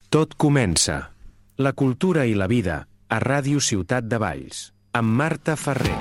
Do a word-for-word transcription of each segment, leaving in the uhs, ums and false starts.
Tot comença. La cultura i la vida a Ràdio Ciutat de Valls, amb Marta Ferrer.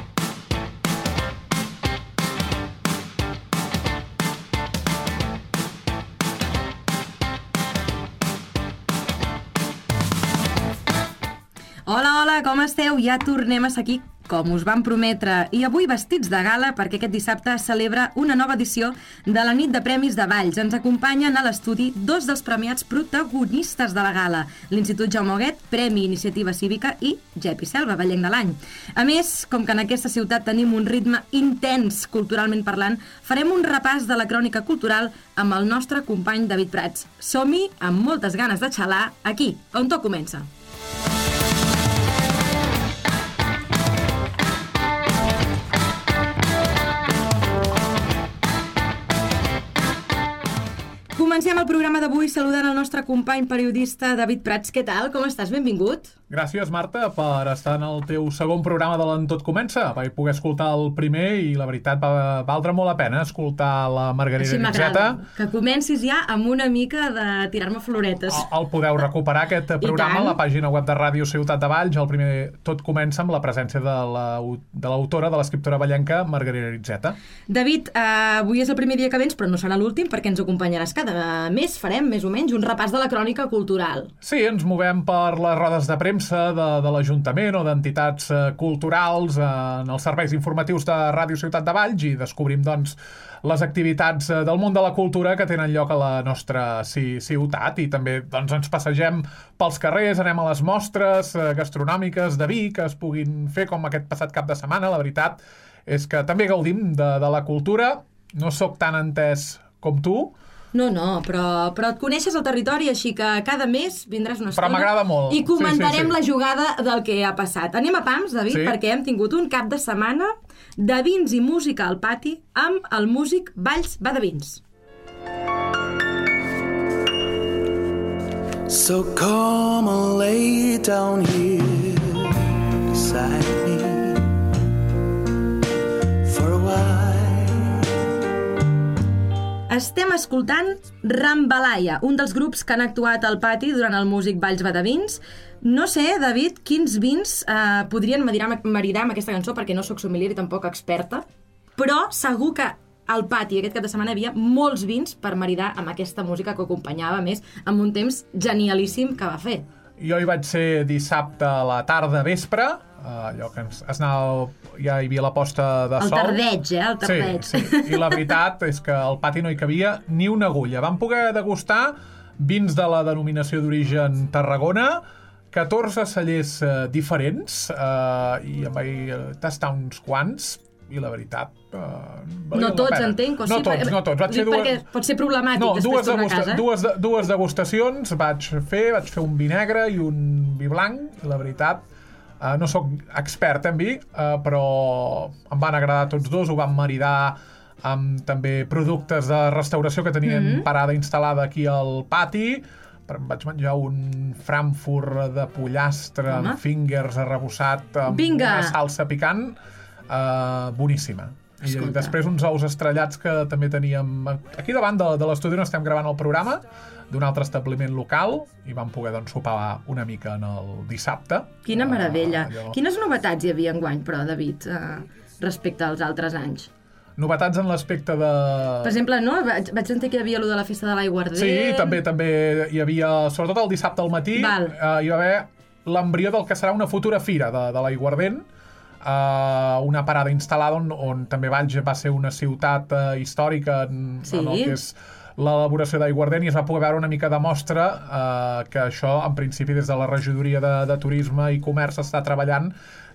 Hola, hola, com esteu? Ja tornem a ser aquí, com us vam prometre, i avui vestits de gala perquè aquest dissabte es celebra una nova edició de la nit de premis de Valls. Ens acompanyen a l'estudi dos dels premiats protagonistes de la gala, l'Institut Jaume Huguet, Premi Iniciativa Cívica, i Gepi Selva, Vallenc de l'Any. A més, com que en aquesta ciutat tenim un ritme intens culturalment parlant, farem un repàs de la crònica cultural amb el nostre company David Prats. Som-hi amb moltes ganes de xalar aquí, on tot comença. Comencem el programa d'avui saludant el nostre company periodista David Prats. Què tal? Com estàs? Benvingut. Gràcies, Marta, per estar en el teu segon programa de l'En Tot Comença. Vaig poder escoltar el primer i la veritat va valdre molt la pena escoltar la Margarida Així Nitzeta. Que comencis ja amb una mica de tirar-me floretes. El, el podeu recuperar, aquest programa, a la pàgina web de Ràdio Ciutat de Valls. El primer Tot Comença amb la presència de l'autora, de l'escriptora vallenca Margarida Nitzeta. David, eh, avui és el primer dia que vens, però no serà l'últim perquè ens acompanyaràs cada mes. Farem, més o menys, un repàs de la crònica cultural. Sí, ens movem per les rodes de premsa de, de l'Ajuntament o d'entitats eh, culturals eh, en els serveis informatius de Ràdio Ciutat de Valls i descobrim, doncs, les activitats eh, del món de la cultura que tenen lloc a la nostra ci ciutat i també, doncs, ens passegem pels carrers, anem a les mostres eh, gastronòmiques de vi que es puguin fer com aquest passat cap de setmana. La veritat és que també gaudim de, de la cultura. No sóc tan entès com tu. No, no, però, però et coneixes el territori, així que cada mes vindràs una estona. Però m'agrada molt. I comentarem sí, sí, sí. la jugada del que ha passat. Anem a pams, David, sí. perquè hem tingut un cap de setmana de vins i música al pati amb el músic Valls va de Vins. So come and lay down here beside me for a while. Estem escoltant Rambalaia, un dels grups que han actuat al pati durant el músic Valls va de Vins. No sé, David, quins vins eh, podrien maridar, maridar amb aquesta cançó, perquè no sóc sommelier i tampoc experta, però segur que al pati aquest cap de setmana hi havia molts vins per maridar amb aquesta música que acompanyava, més, amb un temps genialíssim que va fer. Jo hi vaig ser dissabte a la tarda vespre, allò que ens, es anava, ja hi havia la posta de el sol. El tardeig, eh? El tardeig. Sí, sí. I la veritat és que al pati no hi cabia ni una agulla. Vam poder degustar vins de la denominació d'origen Tarragona, catorze cellers eh, diferents, eh, i em vaig tastar uns quants, i la veritat... Eh, no tots, entenc? No tots, no tots. Vaig Dic fer dues... perquè pot ser problemàtic no, després dues tornar a casa. Dues, dues degustacions vaig fer, vaig fer un vi negre i un vi blanc, i la veritat... Uh, no sóc expert en vi, uh, però em van agradar tots dos, ho vam maridar amb també productes de restauració que tenien mm-hmm. parada instal·lada aquí al pati. Em vaig menjar un Frankfurt de pollastre Home. amb fingers arrebossat amb Vinga. una salsa picant, uh, boníssima. Escolta. I després uns ous estrellats que també teníem aquí davant de, de l'estudi on estem gravant el programa, d'un altre establiment local, i vam poder, doncs, sopar una mica en el dissabte. Quina meravella. Uh, allò... Quines novetats hi havia enguany, però, David, uh, respecte als altres anys? Novetats en l'aspecte de... Per exemple, no? Vaig, vaig sentir que hi havia allò de la festa de l'aiguardent. Sí, també també hi havia, sobretot el dissabte al matí, uh, hi va haver l'embrió del que serà una futura fira de, de l'aiguardent, uh, una parada instal·lada on, on també Valls va ser una ciutat uh, històrica en, sí. en el que és l'elaboració d'aiguardent, i es va poder veure una mica de mostra eh, que això, en principi, des de la regidoria de, de Turisme i Comerç està treballant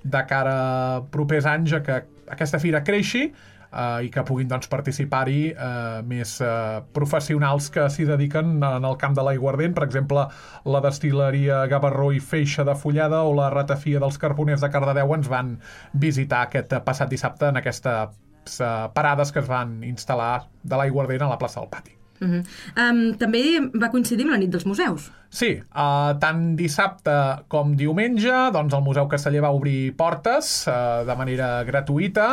de cara a propers anys a que aquesta fira creixi eh, i que puguin, doncs, participar-hi eh, més eh, professionals que s'hi dediquen en el camp de l'aiguardent. Per exemple, la destil·leria Gavarró i Feixa de Fulleda o la ratafia dels Carboners de Cardedeu ens van visitar aquest passat dissabte en aquestes eh, parades que es van instal·lar de l'aiguardent a la plaça del Pati. Uh-huh. um, també va coincidir amb la nit dels museus. Sí, uh, tant dissabte com diumenge, doncs el Museu Casteller va obrir portes uh, de manera gratuïta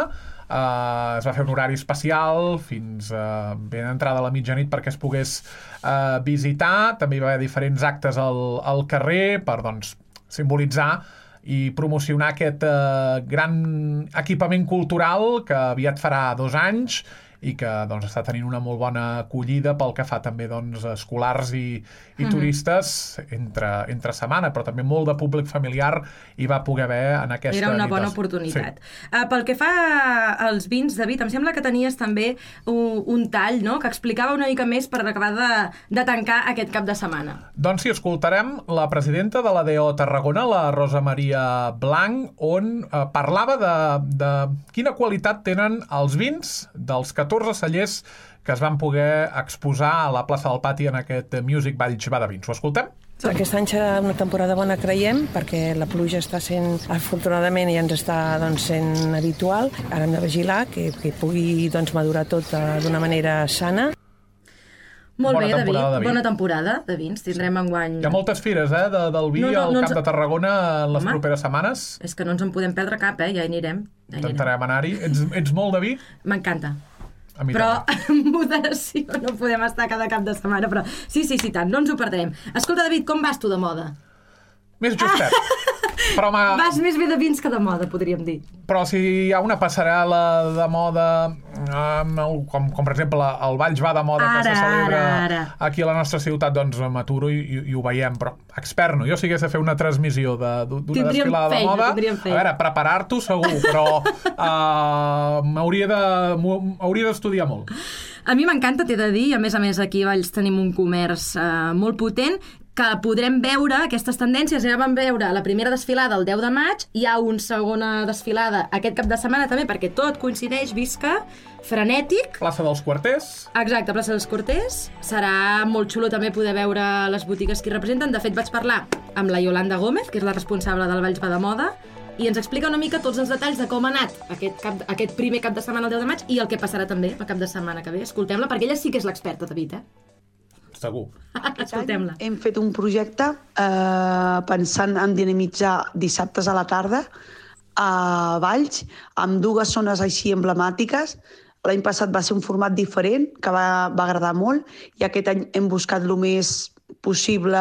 Uh, es va fer un horari especial fins uh, ben entrada a la mitjanit perquè es pogués uh, visitar. També hi va haver diferents actes al, al carrer per, doncs, simbolitzar i promocionar aquest uh, gran equipament cultural que aviat farà dos anys i que, doncs, està tenint una molt bona acollida pel que fa també, doncs, escolars i, i mm-hmm. turistes entre, entre setmana, però també molt de públic familiar hi va poder haver en aquesta nit. Era una bona oportunitat. Sí. Uh, pel que fa als vins, David, em sembla que tenies també un, un tall, no?, que explicava una mica més per acabar de, de tancar aquest cap de setmana. Doncs sí, escoltarem la presidenta de l'A D O Tarragona, la Rosa Maria Blanc, on uh, parlava de, de quina qualitat tenen els vins dels catorze cellers que es van poder exposar a la plaça del Pati en aquest Music Valls va de Vins. Ho escoltem? Aquest any serà una temporada bona, creiem, perquè la pluja està sent, afortunadament, ja ens està, doncs, sent habitual. Ara hem de vigilar que, que pugui, doncs, madurar tot d'una manera sana. Molt bona bé, David. David. Bona temporada de vins. Tindrem enguany... Hi ha moltes fires, eh, de, del vi no, no, al no Camp ens... de Tarragona en les Home, properes setmanes. És que no ens en podem perdre cap, eh? Ja hi anirem. Ja Intentarem anar-hi. Ets, ets molt de vi? M'encanta. Però en moderació no podem estar cada cap de setmana, però sí, sí, sí, tant, no ens ho perdrem. Escolta, David, com vas tu de moda? Més justet. Però ma... Vas més bé de vins que de moda, podríem dir. Però si hi ha una passarel·la de moda, com, com per exemple el Valls va de moda ara, que se celebra ara, ara. aquí a la nostra ciutat, doncs m'aturo i, i, i ho veiem. Però experno, jo si hagués de fer una transmissió d'una de, desfilada feina, de moda, a veure, preparar-t'ho segur, però uh, m'hauria de, m'hauria d'estudiar molt. A mi m'encanta, t'he de dir, i a més a més aquí a Valls tenim un comerç uh, molt potent, que podrem veure aquestes tendències. Ja vam veure la primera desfilada el deu de maig, hi ha una segona desfilada aquest cap de setmana també, perquè tot coincideix, visca, frenètic. Plaça dels Quarters. Exacte, plaça dels Quarters. Serà molt xulo també poder veure les botigues que hi representen. De fet, vaig parlar amb la Yolanda Gómez, que és la responsable del Valls va de moda, i ens explica una mica tots els detalls de com ha anat aquest, cap, aquest primer cap de setmana el deu de maig i el que passarà també el cap de setmana que ve. Escoltem-la, perquè ella sí que és l'experta, David, eh? Segur. Escoltem-la. Hem fet un projecte eh, pensant en dinamitzar dissabtes a la tarda a Valls, amb dues zones així emblemàtiques. L'any passat va ser un format diferent, que va, va agradar molt, i aquest any hem buscat el més possible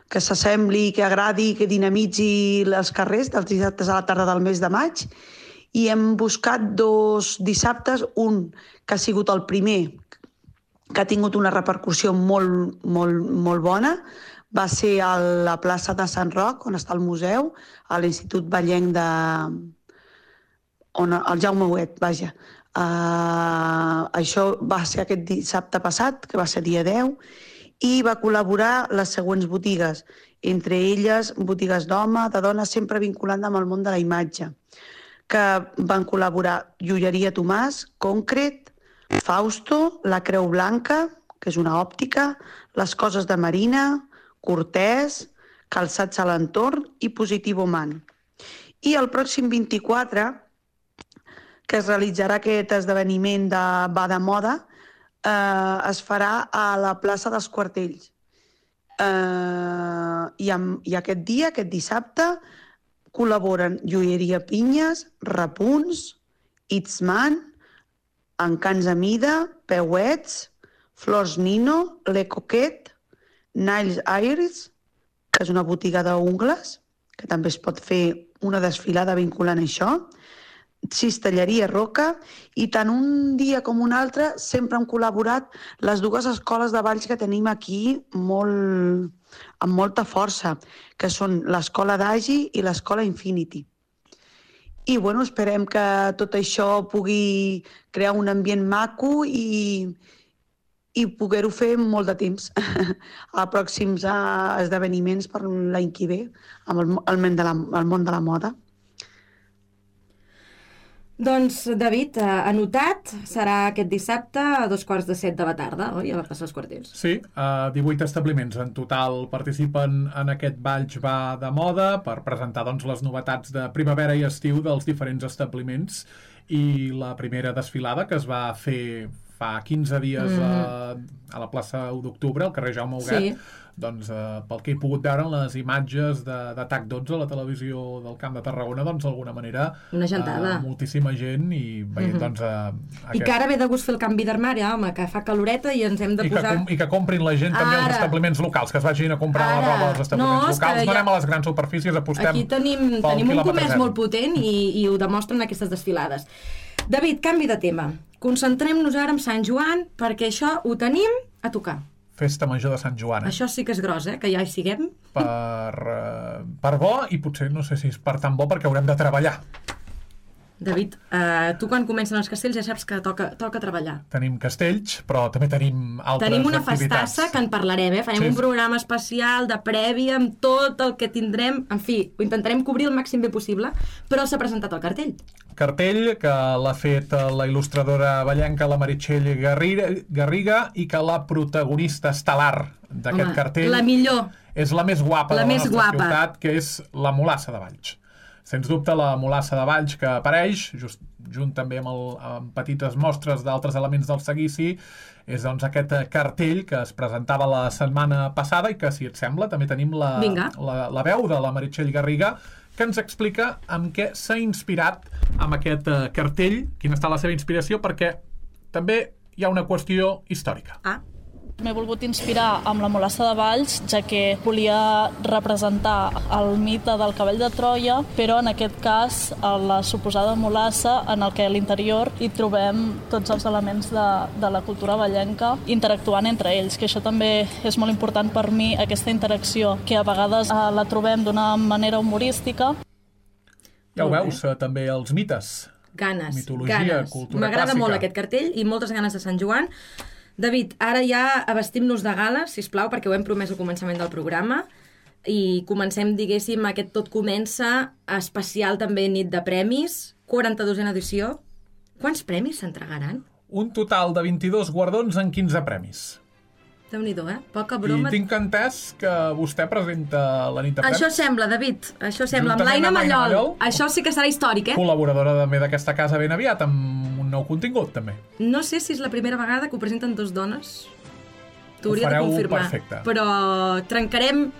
que s'assembli, que agradi, que dinamitzi els carrers dels dissabtes a la tarda del mes de maig, i hem buscat dos dissabtes, un que ha sigut el primer, que ha tingut una repercussió molt, molt, molt bona, va ser a la plaça de Sant Roc, on està el museu, a l'Institut Vallenc de... on el Jaume Huet, vaja. Uh, això va ser aquest dissabte passat, que va ser dia deu, i va col·laborar les següents botigues, entre elles botigues d'home, de dona, sempre vinculant amb el món de la imatge, que van col·laborar Joieria Tomàs, Concret, Fausto, La Creu Blanca, que és una òptica, Les Coses de Marina, Cortès, Calçats a l'Entorn i Positivo Man. I el pròxim vint-i-quatre, que es realitzarà aquest esdeveniment de va de moda, eh, es farà a la plaça dels Quartells. Eh, i, amb, I aquest dia, aquest dissabte, col·laboren Joieria Pinyes, Repunts, Itzman, Encants a Mida, Peuets, Flors Nino, Le Coquet, Nails Iris, que és una botiga d'ungles, que també es pot fer una desfilada vinculant això, Cistelleria Roca, i tant un dia com un altre sempre han col·laborat les dues escoles de balls que tenim aquí molt, amb molta força, que són l'Escola d'Agi i l'Escola Infinity. I bueno, esperem que tot això pugui crear un ambient maco i, i poder-ho fer molt de temps a pròxims esdeveniments per l'any que ve amb el, el, món de la, el món de la moda. Doncs, David, anotat, serà aquest dissabte a dos quarts de set de la tarda, oi? A la plaça dels Quarters. Sí, uh, divuit establiments en total participen en aquest Valls va de moda per presentar, doncs, les novetats de primavera i estiu dels diferents establiments, i la primera desfilada que es va fer fa quinze dies mm. a, a la plaça u d'octubre, al carrer Jaume Huguet, sí. doncs eh, pel que he pogut veure en les imatges d'Atac dotze a la televisió del Camp de Tarragona, doncs d'alguna manera una gentada. Eh, moltíssima gent i veient mm -hmm. doncs eh, aquest... I que ara ve de gust fer el canvi d'armari, home, que fa caloreta i ens hem de I posar... Que com, I que comprin la gent també als establiments locals, que es vagin a comprar ara. la roba als establiments no, locals, no anem ja... a les grans superfícies, apostem aquí tenim, tenim un comerç zero. molt potent i, i ho demostren aquestes desfilades. David, canvi de tema. Concentrem-nos ara en Sant Joan, perquè això ho tenim a tocar. Festa Major de Sant Joan. Eh? Això sí que és gros, eh? Que ja hi siguem. Per, uh, per bo, i potser no sé si és per tan bo, perquè haurem de treballar. David, uh, tu quan comencen els castells ja saps que toca, toca treballar. Tenim castells, però també tenim altres tenim una activitats. Festassa que en parlarem, eh? Farem sí. un programa especial de prèvia amb tot el que tindrem. En fi, ho intentarem cobrir el màxim bé possible, però s'ha presentat el cartell. Cartell que l'ha fet la il·lustradora ballenca, la Meritxell Garriga, i que la protagonista estel·lar d'aquest cartell la millor. és la més guapa la de la més nostra guapa. ciutat, que és la Mulassa de Valls. Sens dubte, la Mulassa de Valls, que apareix, just, junt també amb, el, amb petites mostres d'altres elements del seguici, és doncs aquest cartell que es presentava la setmana passada i que, si et sembla, també tenim la, la, la veu de la Meritxell Garriga, que ens explica amb què s'ha inspirat amb aquest cartell, quina està la seva inspiració, perquè també hi ha una qüestió històrica. Ah. M'he volgut inspirar amb la Mulassa de Valls, ja que volia representar el mite del cavall de Troia, però en aquest cas la suposada mulassa, en el que a l'interior hi trobem tots els elements de, de la cultura vallenca interactuant entre ells, que això també és molt important per mi, aquesta interacció, que a vegades eh, la trobem d'una manera humorística. Ja ho veus, eh, també els mites. Ganes, mitologia, ganes. Cultura M'agrada clàssica. molt aquest cartell i moltes ganes de Sant Joan. David, ara ja abastim-nos de gala, sisplau, perquè ho hem promès al començament del programa, i comencem, diguéssim, aquest tot comença especial també nit de premis, quaranta-dosena edició. Quants premis s'entregaran? Un total de vint-i-dos guardons en quinze premis. Déu-n'hi-do, eh? Poca broma. I tinc entès que vostè presenta la nit de premis. Això sembla, David, això sembla. Amb l'Aina Mallol. Mallol. Això sí que serà històric, eh? Col·laboradora també d'aquesta casa ben aviat, amb un nou contingut, també. No sé si és la primera vegada que ho presenten dos dones. T'ho hauria de confirmar. Perfecte. Però trencarem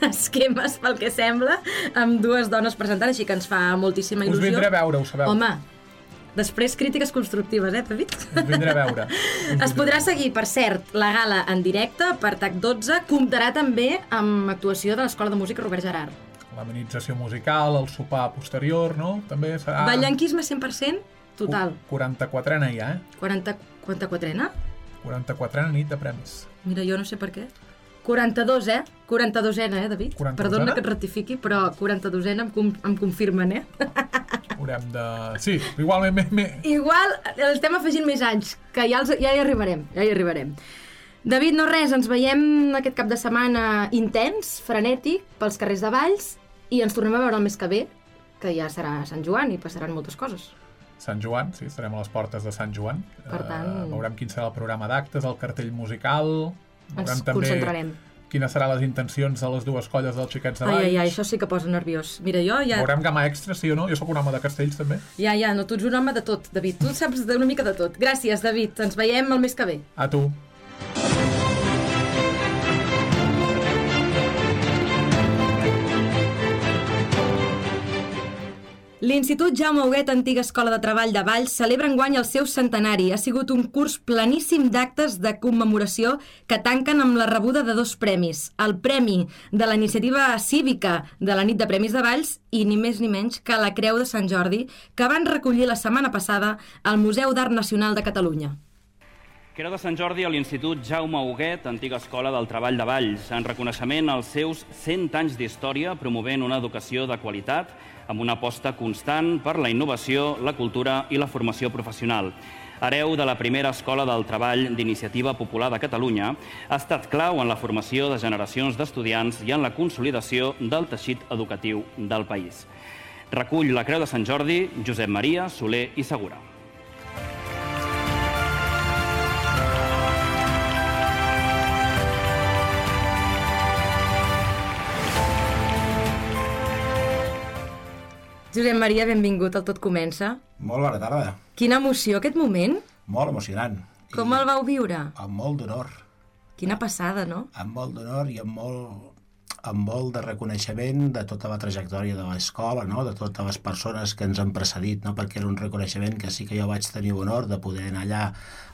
esquemes, pel que sembla, amb dues dones presentant, així que ens fa moltíssima il·lusió. Us vindré a veure, ho sabeu. Home, després crítiques constructives, eh, David? Us vindré a veure. Es podrà seguir, per cert, la gala en directe per T A C dotze. Comptarà també amb actuació de l'Escola de Música Robert Gerard. L'amenització musical, el sopar posterior, no? També serà... Ballenquisme cent per cent total. quaranta-quatrena ja, eh? quaranta, quaranta-quatrena? quaranta-quatrena nit de premis. Mira, jo no sé per què. quaranta-dos, eh? quaranta-dosena, eh, David? Perdona que et rectifiqui, però quaranta-dosena em, com, em confirmen, eh? Haurem de... Sí, igual... Me, me... Igual estem afegint més anys, que ja, els, ja hi arribarem, ja hi arribarem. David, no res, ens veiem aquest cap de setmana intens, frenètic, pels carrers de Valls, i ens tornem a veure el mes que ve, que ja serà Sant Joan i passaran moltes coses. Sant Joan, sí, estarem a les portes de Sant Joan. Per tant... Uh, veurem quin serà el programa d'actes, el cartell musical... Ens concentrarem. Quines seran les intencions de les dues colles dels Xiquets de Valls. Ai, ai, ai, això sí que posa nerviós. Mira, jo ja... Veurem gamma extra, sí o no? Jo sóc un home de castells, també. Ja, ja, no, tu ets un home de tot, David. Tu saps una mica de tot. Gràcies, David. Ens veiem el mes que ve. A tu. L'Institut Jaume Huguet, antiga escola de treball de Valls, celebra enguany el seu centenari. Ha sigut un curs planíssim d'actes de commemoració que tanquen amb la rebuda de dos premis. El premi de la iniciativa cívica de la nit de premis de Valls i ni més ni menys que la Creu de Sant Jordi, que van recollir la setmana passada al Museu d'Art Nacional de Catalunya. Creu de Sant Jordi a l'Institut Jaume Huguet, antiga escola del treball de Valls, en reconeixement als seus cent anys d'història, promovent una educació de qualitat amb una aposta constant per la innovació, la cultura i la formació professional. Hereu de la primera escola del treball d'Iniciativa Popular de Catalunya, ha estat clau en la formació de generacions d'estudiants i en la consolidació del teixit educatiu del país. Recull la Creu de Sant Jordi, Josep Maria Soler i Segura. Josep Maria, benvingut al Tot Comença. Molt bona tarda. Quina emoció aquest moment. Molt emocionant. Com el vau viure? Amb molt d'honor. Quina passada, no? Amb molt d'honor i amb molt, amb molt de reconeixement de tota la trajectòria de l'escola, no? De totes les persones que ens han precedit, no? Perquè era un reconeixement que sí que jo vaig tenir honor de poder anar allà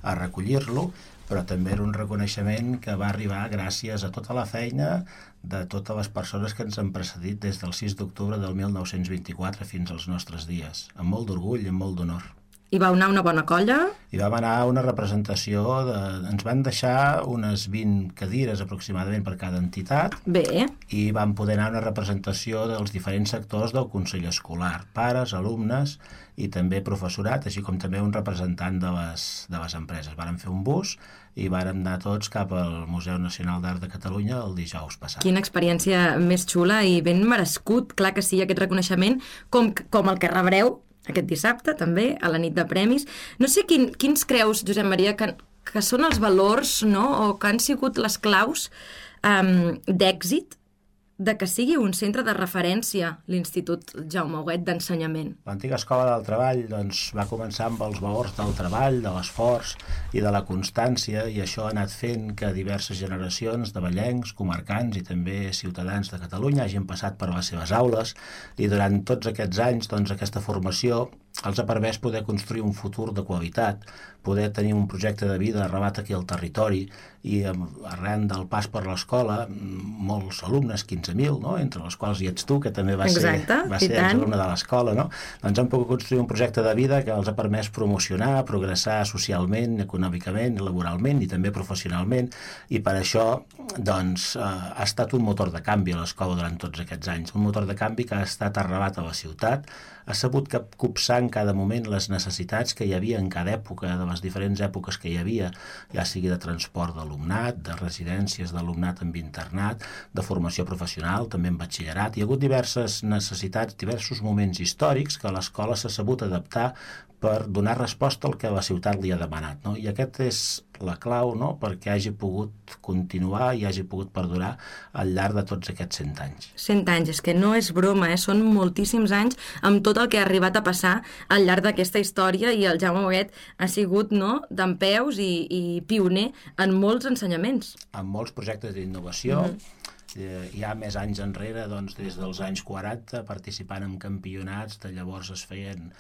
a recollir-lo, però també era un reconeixement que va arribar gràcies a tota la feina de totes les persones que ens han precedit des del sis d'octubre del mil nou-cents vint-i-quatre fins als nostres dies, amb molt d'orgull i amb molt d'honor. I vau anar una bona colla? I vam anar a una representació, de... ens van deixar unes vint cadires aproximadament per cada entitat. Bé. I vam poder anar a una representació dels diferents sectors del Consell Escolar, pares, alumnes i també professorat, així com també un representant de les, de les empreses. Vàrem fer un bus i vàrem anar tots cap al Museu Nacional d'Art de Catalunya el dijous passat. Quina experiència més xula i ben merescut, clar que sí, aquest reconeixement, com, com el que rebreu aquest dissabte, també, a la nit de premis. No sé quin, quins creus, Josep Maria, que, que són els valors, no?, o que han sigut les claus um, d'èxit de que sigui un centre de referència l'Institut Jaume Huguet d'ensenyament. L'antiga escola del treball doncs, va començar amb els valors del treball, de l'esforç i de la constància, i això ha anat fent que diverses generacions de vallencs, comarcans i també ciutadans de Catalunya hagin passat per les seves aules, i durant tots aquests anys doncs, aquesta formació els ha permès poder construir un futur de qualitat, poder tenir un projecte de vida arrelat aquí al territori, i arran del pas per l'escola, molts alumnes, quinze mil, no? Entre els quals hi ets tu, que també va Exacte, ser, va ser exalumne de l'escola, no? Doncs han pogut construir un projecte de vida que els ha permès promocionar, progressar socialment, econòmicament, laboralment i també professionalment, i per això doncs, eh, ha estat un motor de canvi a l'escola durant tots aquests anys, un motor de canvi que ha estat arrelat a la ciutat, ha sabut copsar en cada moment les necessitats que hi havia en cada època, de les diferents èpoques que hi havia, ja sigui de transport d'alumnat, de residències d'alumnat amb internat, de formació professional, també en batxillerat. Hi ha hagut diverses necessitats, diversos moments històrics que l'escola s'ha sabut adaptar per donar resposta al que la ciutat li ha demanat, no? I aquest és la clau, no?, perquè hagi pogut continuar i hagi pogut perdurar al llarg de tots aquests cent anys. Cent anys, és que no és broma, eh? Són moltíssims anys amb tot el que ha arribat a passar al llarg d'aquesta història, i el Jaume Huguet ha sigut, no?, dempeus i, i pioner en molts ensenyaments. En molts projectes d'innovació. Mm-hmm. Hi ha més anys enrere, doncs, des dels anys quaranta, participant en campionats de llavors es feien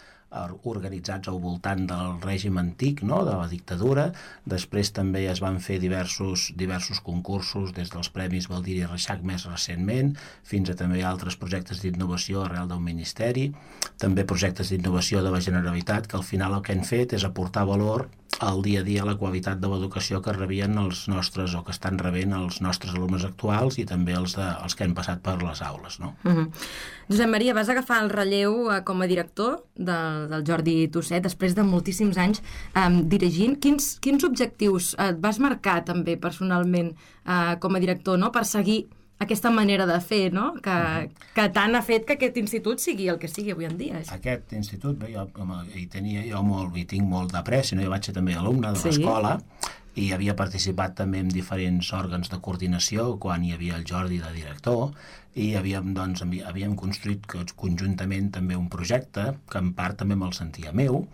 organitzats al voltant del règim antic, no?, de la dictadura. Després també es van fer diversos, diversos concursos, des dels Premis Baldiri i Reixac més recentment, fins a també altres projectes d'innovació arrel del Ministeri, també projectes d'innovació de la Generalitat, que al final el que han fet és aportar valor al dia a dia, la qualitat de l'educació que rebien els nostres, o que estan rebent els nostres alumnes actuals, i també els, de, els que han passat per les aules, no? Uh-huh. Josep Maria, vas agafar el relleu eh, com a director del, del Jordi Tusset, després de moltíssims anys eh, dirigint. Quins, quins objectius et vas marcar també personalment eh, com a director, no?, per seguir aquesta manera de fer, no?, que, que tant ha fet que aquest institut sigui el que sigui avui en dia. Aquest institut, bé, jo hi tenia jo molt, hi tinc molt d'apreci, no? Jo vaig ser també alumne de l'escola, sí, i havia participat també en diferents òrgans de coordinació quan hi havia el Jordi de director, i havíem, doncs, havíem construït conjuntament també un projecte que en part també me'l sentia meu,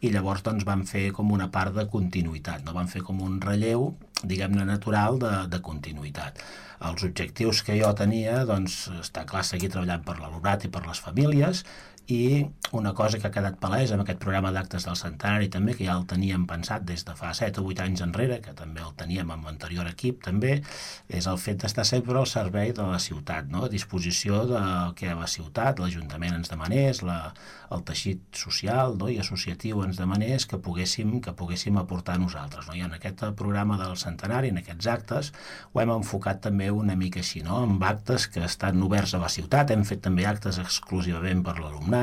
i llavors doncs, vam fer com una part de continuïtat, no? Vam fer com un relleu, diguem-ne, natural de, de continuïtat. Els objectius que jo tenia, doncs, està clar, seguir treballant per l'alumnat i per les famílies, i una cosa que ha quedat palesa amb aquest programa d'actes del centenari també, que ja el teníem pensat des de fa set o vuit anys enrere, que també el teníem amb l'anterior equip també, és el fet d'estar sempre al servei de la ciutat, no?, a disposició del que la ciutat, l'Ajuntament ens demanés, la, el teixit social, no?, i associatiu ens demanés que poguéssim, que poguéssim aportar nosaltres, no? I en aquest programa del centenari, en aquests actes, ho hem enfocat també una mica així, no?, amb actes que estan oberts a la ciutat, hem fet també actes exclusivament per l'alumnat,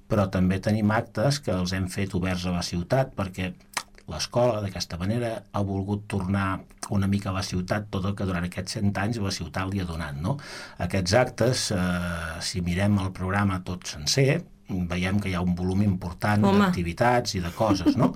però també tenim actes que els hem fet oberts a la ciutat perquè l'escola, d'aquesta manera, ha volgut tornar una mica a la ciutat tot el que durant aquests cent anys la ciutat li ha donat, no? Aquests actes, eh, si mirem el programa tot sencer, veiem que hi ha un volum important d'activitats i de coses, no?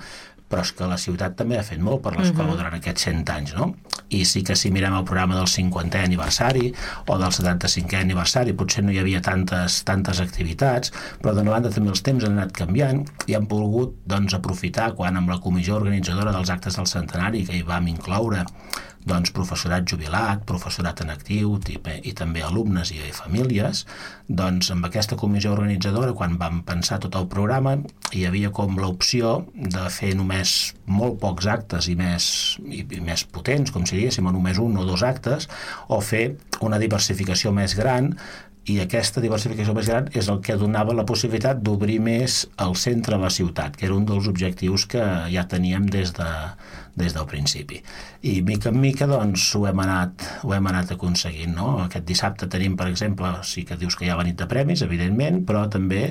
Però és que la ciutat també ha fet molt per l'escola uh-huh. durant aquests cent anys, no? i sí que si mirem el programa del cinquantè aniversari o del setanta-cinquè aniversari potser no hi havia tantes, tantes activitats, però d'una banda també els temps han anat canviant i han volgut doncs, aprofitar quan amb la comissió organitzadora dels actes del centenari, que hi vam incloure doncs, professorat jubilat, professorat en actiu i, i també alumnes i famílies, doncs amb aquesta comissió organitzadora, quan vam pensar tot el programa, hi havia com l'opció de fer només molt pocs actes i més, i, i més potents, com si diguéssim, només un o dos actes, o fer una diversificació més gran, i aquesta diversificació més gran és el que donava la possibilitat d'obrir més el centre de la ciutat, que era un dels objectius que ja teníem des de des del principi. I mica en mica doncs ho hem anat, ho hem anat aconseguint, no? Aquest dissabte tenim, per exemple, sí que dius que hi ha la nit de premis, evidentment, però també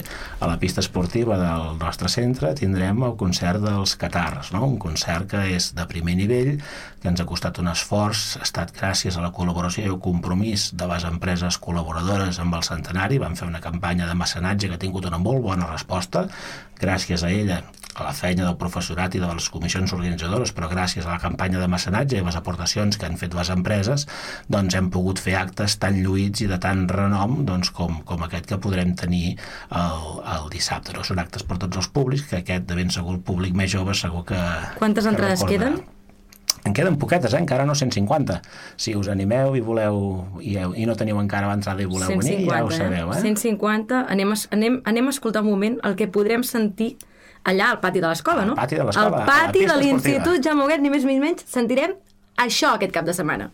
a la pista esportiva del nostre centre tindrem el concert dels Catarres, no? Un concert que és de primer nivell, que ens ha costat un esforç, ha estat gràcies a la col·laboració i el compromís de les empreses col·laboradores amb el centenari. Vam fer una campanya de mecenatge que ha tingut una molt bona resposta, gràcies a ella, a la feina del professorat i de les comissions organitzadores, però gràcies a la campanya de mecenatge i les aportacions que han fet les empreses, doncs hem pogut fer actes tan lluïts i de tant renom doncs, com, com aquest que podrem tenir el, el dissabte. No? Són actes per tots els públics, que aquest de ben segur el públic més jove segur que... Quantes que entrades recorda. queden? En queden poquetes, eh? Encara no cent cinquanta. Si us animeu i voleu i, i no teniu encara l'entrada i voleu cent cinquanta, venir, ja ho sabeu. Eh? cent cinquanta, anem a, anem, anem a escoltar un moment el que podrem sentir allà al pati de l'escola, no? Al pati de l'escola. Al pati de l'Institut Jaume Huguet, ni més ni menys, sentirem això aquest cap de setmana.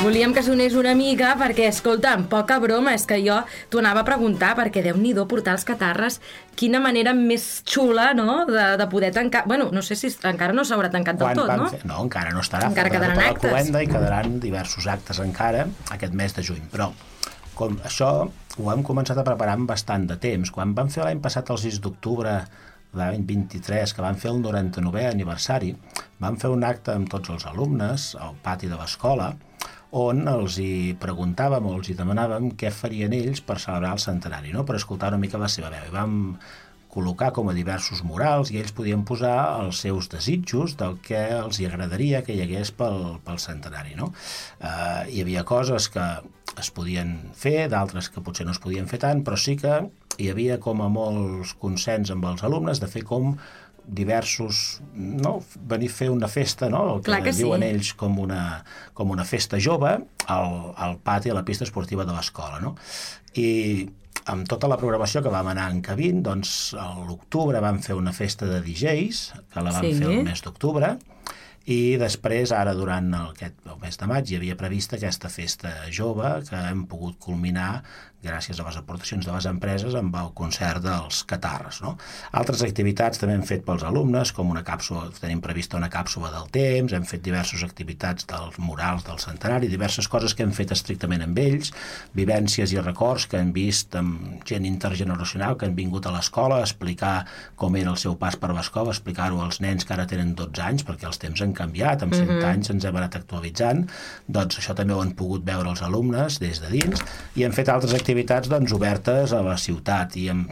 Volíem que sonés una mica perquè, escolta'm, poca broma, és que jo t'ho anava a preguntar perquè Déu-n'hi-do portar els Catarres, quina manera més xula, no?, de, de poder tancar... Bueno, no sé si encara no s'haurà tancat del tot, no? Fer... No, encara no estarà. Encara quedaran tota actes. La cluenda i quedaran diversos actes encara aquest mes de juny, però com això ho hem començat a preparar amb bastant de temps. Quan vam fer l'any passat el sis d'octubre de l'any vint-i-tres, que vam fer el noranta-novè aniversari, vam fer un acte amb tots els alumnes al pati de l'escola, on els hi preguntàvem o els hi demanàvem què farien ells per celebrar el centenari, no? Per escoltar una mica la seva veu. I vam col·locar com a diversos murals i ells podien posar els seus desitjos del que els hi agradaria que hi hagués pel, pel centenari, no? Eh, hi havia coses que es podien fer, d'altres que potser no es podien fer tant, però sí que hi havia com a molts consens amb els alumnes de fer com diversos, no? Venir a fer una festa, no? El que, Clar que diuen sí. ells com una, com una festa jove al, al pati, a la pista esportiva de l'escola, no? I amb tota la programació que vam anar encabint, doncs a l'octubre vam fer una festa de D Js, que la vam Sí. fer el mes d'octubre, i després, ara, durant el, aquest, el mes de maig, hi havia prevista aquesta festa jove que hem pogut culminar gràcies a les aportacions de les empreses amb el concert dels Catarres, no? Altres activitats també hem fet pels alumnes, com una càpsula, tenim prevista una càpsula del temps, hem fet diverses activitats dels murals del centenari, diverses coses que hem fet estrictament amb ells, vivències i records que hem vist amb gent intergeneracional que han vingut a l'escola a explicar com era el seu pas per l'escola, explicar-ho als nens que ara tenen dotze anys, perquè els temps han canviat, amb cent Mhm. anys ens hem anat actualitzant, doncs això també ho han pogut veure els alumnes des de dins, i hem fet altres activitats activitats doncs, obertes a la ciutat i amb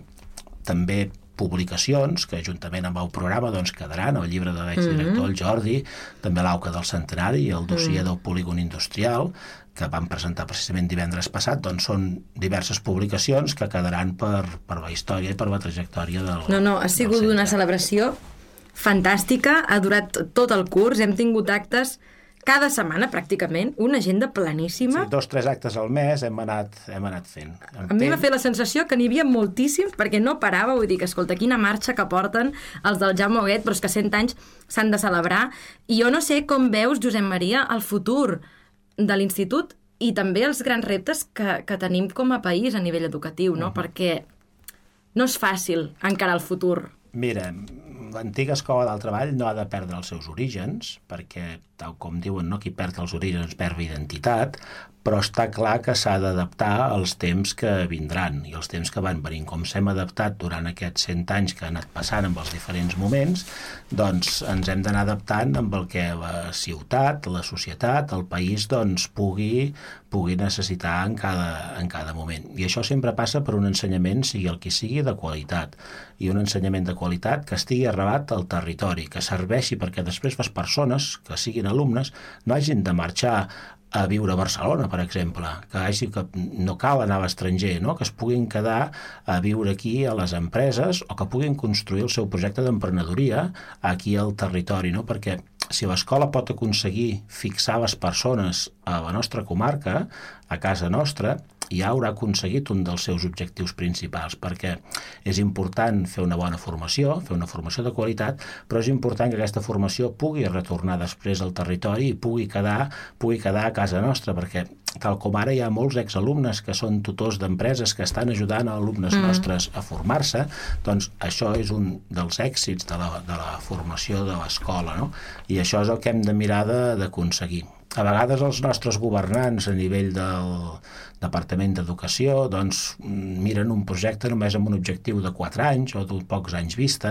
també publicacions que juntament amb el programa doncs, quedaran, el llibre de l'exdirector, el Jordi, també l'Auca del Centenari i el dossier del polígon industrial que vam presentar precisament divendres passat, doncs són diverses publicacions que quedaran per, per la història i per la trajectòria del No, no, ha sigut una celebració fantàstica, ha durat tot el curs, hem tingut actes cada setmana, pràcticament, una agenda planíssima. Sí, dos, tres actes al mes hem anat, hem anat fent. A mi m'ha fet la sensació que n'hi havia moltíssims, perquè no parava, vull dir que, escolta, quina marxa que porten els del Jaume Huguet, però és que cent anys s'han de celebrar. I jo no sé com veus, Josep Maria, el futur de l'institut i també els grans reptes que, que tenim com a país a nivell educatiu, no? Uh-huh. Perquè no és fàcil encarar el futur. Mira, l'antiga escola del treball no ha de perdre els seus orígens, perquè, tal com diuen, no, qui perd els orígens perd identitat, però està clar que s'ha d'adaptar als temps que vindran i els temps que van venint. Com s'hem adaptat durant aquests cent anys que han anat passant amb els diferents moments, doncs ens hem d'anar adaptant amb el que la ciutat, la societat, el país doncs, pugui, pugui necessitar en cada, en cada moment. I això sempre passa per un ensenyament, sigui el que sigui, de qualitat. I un ensenyament de qualitat que estigui arrelat al territori, que serveixi perquè després les persones, que siguin alumnes, no hagin de marxar a viure a Barcelona, per exemple, que, hagi, que no cal anar a l'estranger, no? Que es puguin quedar a viure aquí a les empreses o que puguin construir el seu projecte d'emprenedoria aquí al territori, no? Perquè si l'escola pot aconseguir fixar les persones a la nostra comarca, a casa nostra, ja haurà aconseguit un dels seus objectius principals, perquè és important fer una bona formació, fer una formació de qualitat, però és important que aquesta formació pugui retornar després al territori i pugui quedar, pugui quedar a casa nostra, perquè tal com ara hi ha molts exalumnes que són tutors d'empreses que estan ajudant a alumnes mm. nostres a formar-se, doncs això és un dels èxits de la, de la formació de l'escola, no? I això és el que hem de mirar d'aconseguir. A vegades els nostres governants a nivell del Departament d'Educació doncs miren un projecte només amb un objectiu de quatre anys o d'un pocs anys vista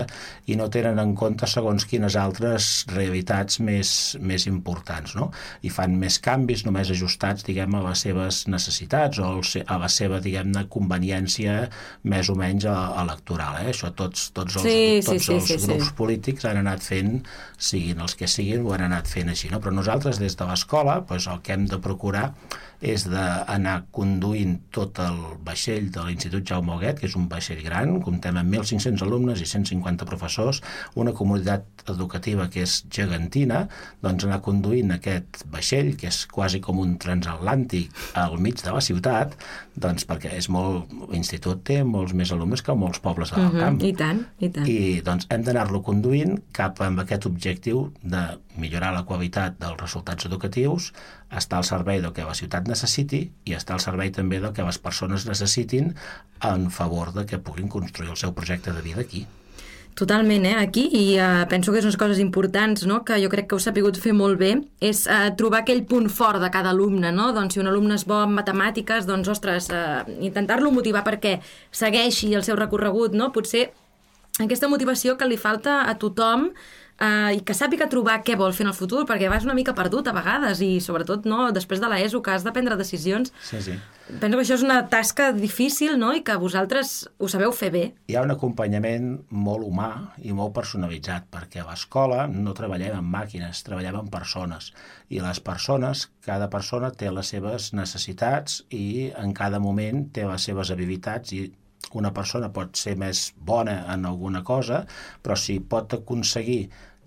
i no tenen en compte segons quines altres realitats més, més importants, no? I fan més canvis només ajustats, diguem, a les seves necessitats o a la seva, diguem-ne, conveniència més o menys electoral, eh? Això tots, tots els, sí, tots sí, els sí, sí, grups sí. polítics han anat fent, siguin els que siguin, ho han anat fent així, no? Però nosaltres des de l'escola doncs, el que hem de procurar és d'anar conduint tot el vaixell de l'Institut Jaume Huguet, que és un vaixell gran, comptem amb mil cinc-cents alumnes i cent cinquanta professors, una comunitat educativa que és gegantina, doncs anar conduint aquest vaixell, que és quasi com un transatlàntic al mig de la ciutat, doncs perquè és molt, l'institut té molts més alumnes que molts pobles del uh-huh. camp. I tant, i tant. I doncs hem d'anar-lo conduint cap amb aquest objectiu de millorar la qualitat dels resultats educatius, estar al servei del que la ciutat necessiti i estar al servei també del que les persones necessitin en favor de que puguin construir el seu projecte de vida aquí. Totalment, eh? Aquí, i uh, penso que és unes coses importants, no?, que jo crec que heu sapigut fer molt bé, és uh, trobar aquell punt fort de cada alumne, no? Doncs si un alumne és bo en matemàtiques, doncs, ostres, uh, intentar-lo motivar perquè segueixi el seu recorregut, no? Potser aquesta motivació que li falta a tothom, Uh, i que sàpiga trobar què vol fer en el futur, perquè vas una mica perdut a vegades i sobretot no, després de l'ESO que has de prendre decisions. Sí, sí. Penso que això és una tasca difícil, no?, i que vosaltres ho sabeu fer bé. Hi ha un acompanyament molt humà i molt personalitzat, perquè a l'escola no treballem amb màquines, treballem amb persones, i les persones, cada persona té les seves necessitats i en cada moment té les seves habilitats i una persona pot ser més bona en alguna cosa, però si pot aconseguir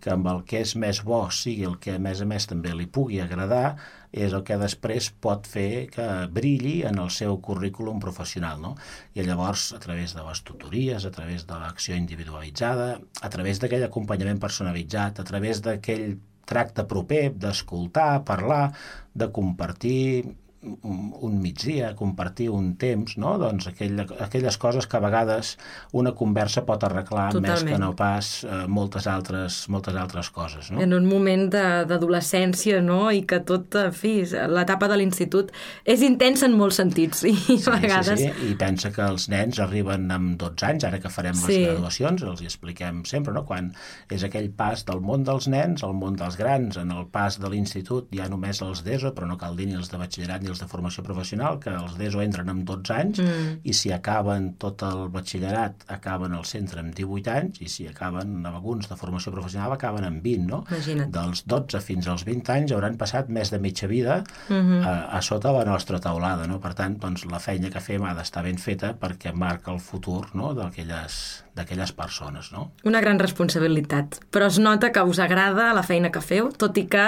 que amb el que és més bo sigui el que a més a més també li pugui agradar, és el que després pot fer que brilli en el seu currículum professional, no? I llavors, a través de les tutories, a través de l'acció individualitzada, a través d'aquell acompanyament personalitzat, a través d'aquell tracte proper, d'escoltar, parlar, de compartir un migdia, compartir un temps, no? Doncs aquell, aquelles coses que a vegades una conversa pot arreglar Totalment. Més que no pas eh, moltes, altres, moltes altres coses, no? En un moment d'adolescència, no?, i que tot, en fi, l'etapa de l'institut és intensa en molts sentits, i sí, a vegades... Sí, sí, i pensa que els nens arriben amb dotze anys, ara que farem les sí. graduacions, els hi expliquem sempre, no?, quan és aquell pas del món dels nens al món dels grans, en el pas de l'institut hi ha només els d'ESO, però no cal dir ni els de batxillerat ni de formació professional, que els d'ESO entren amb dotze anys mm. i si acaben tot el batxillerat acaben al centre amb divuit anys i si acaben alguns de formació professional acaben amb vint, no? Imagina't. Dels dotze fins als vint anys hauran passat més de mitja vida mm-hmm. a, a sota la nostra taulada, no? Per tant, doncs, la feina que fem ha d'estar ben feta perquè marca el futur, no?, d'aquelles d'aquelles persones, no? Una gran responsabilitat, però es nota que us agrada la feina que feu, tot i que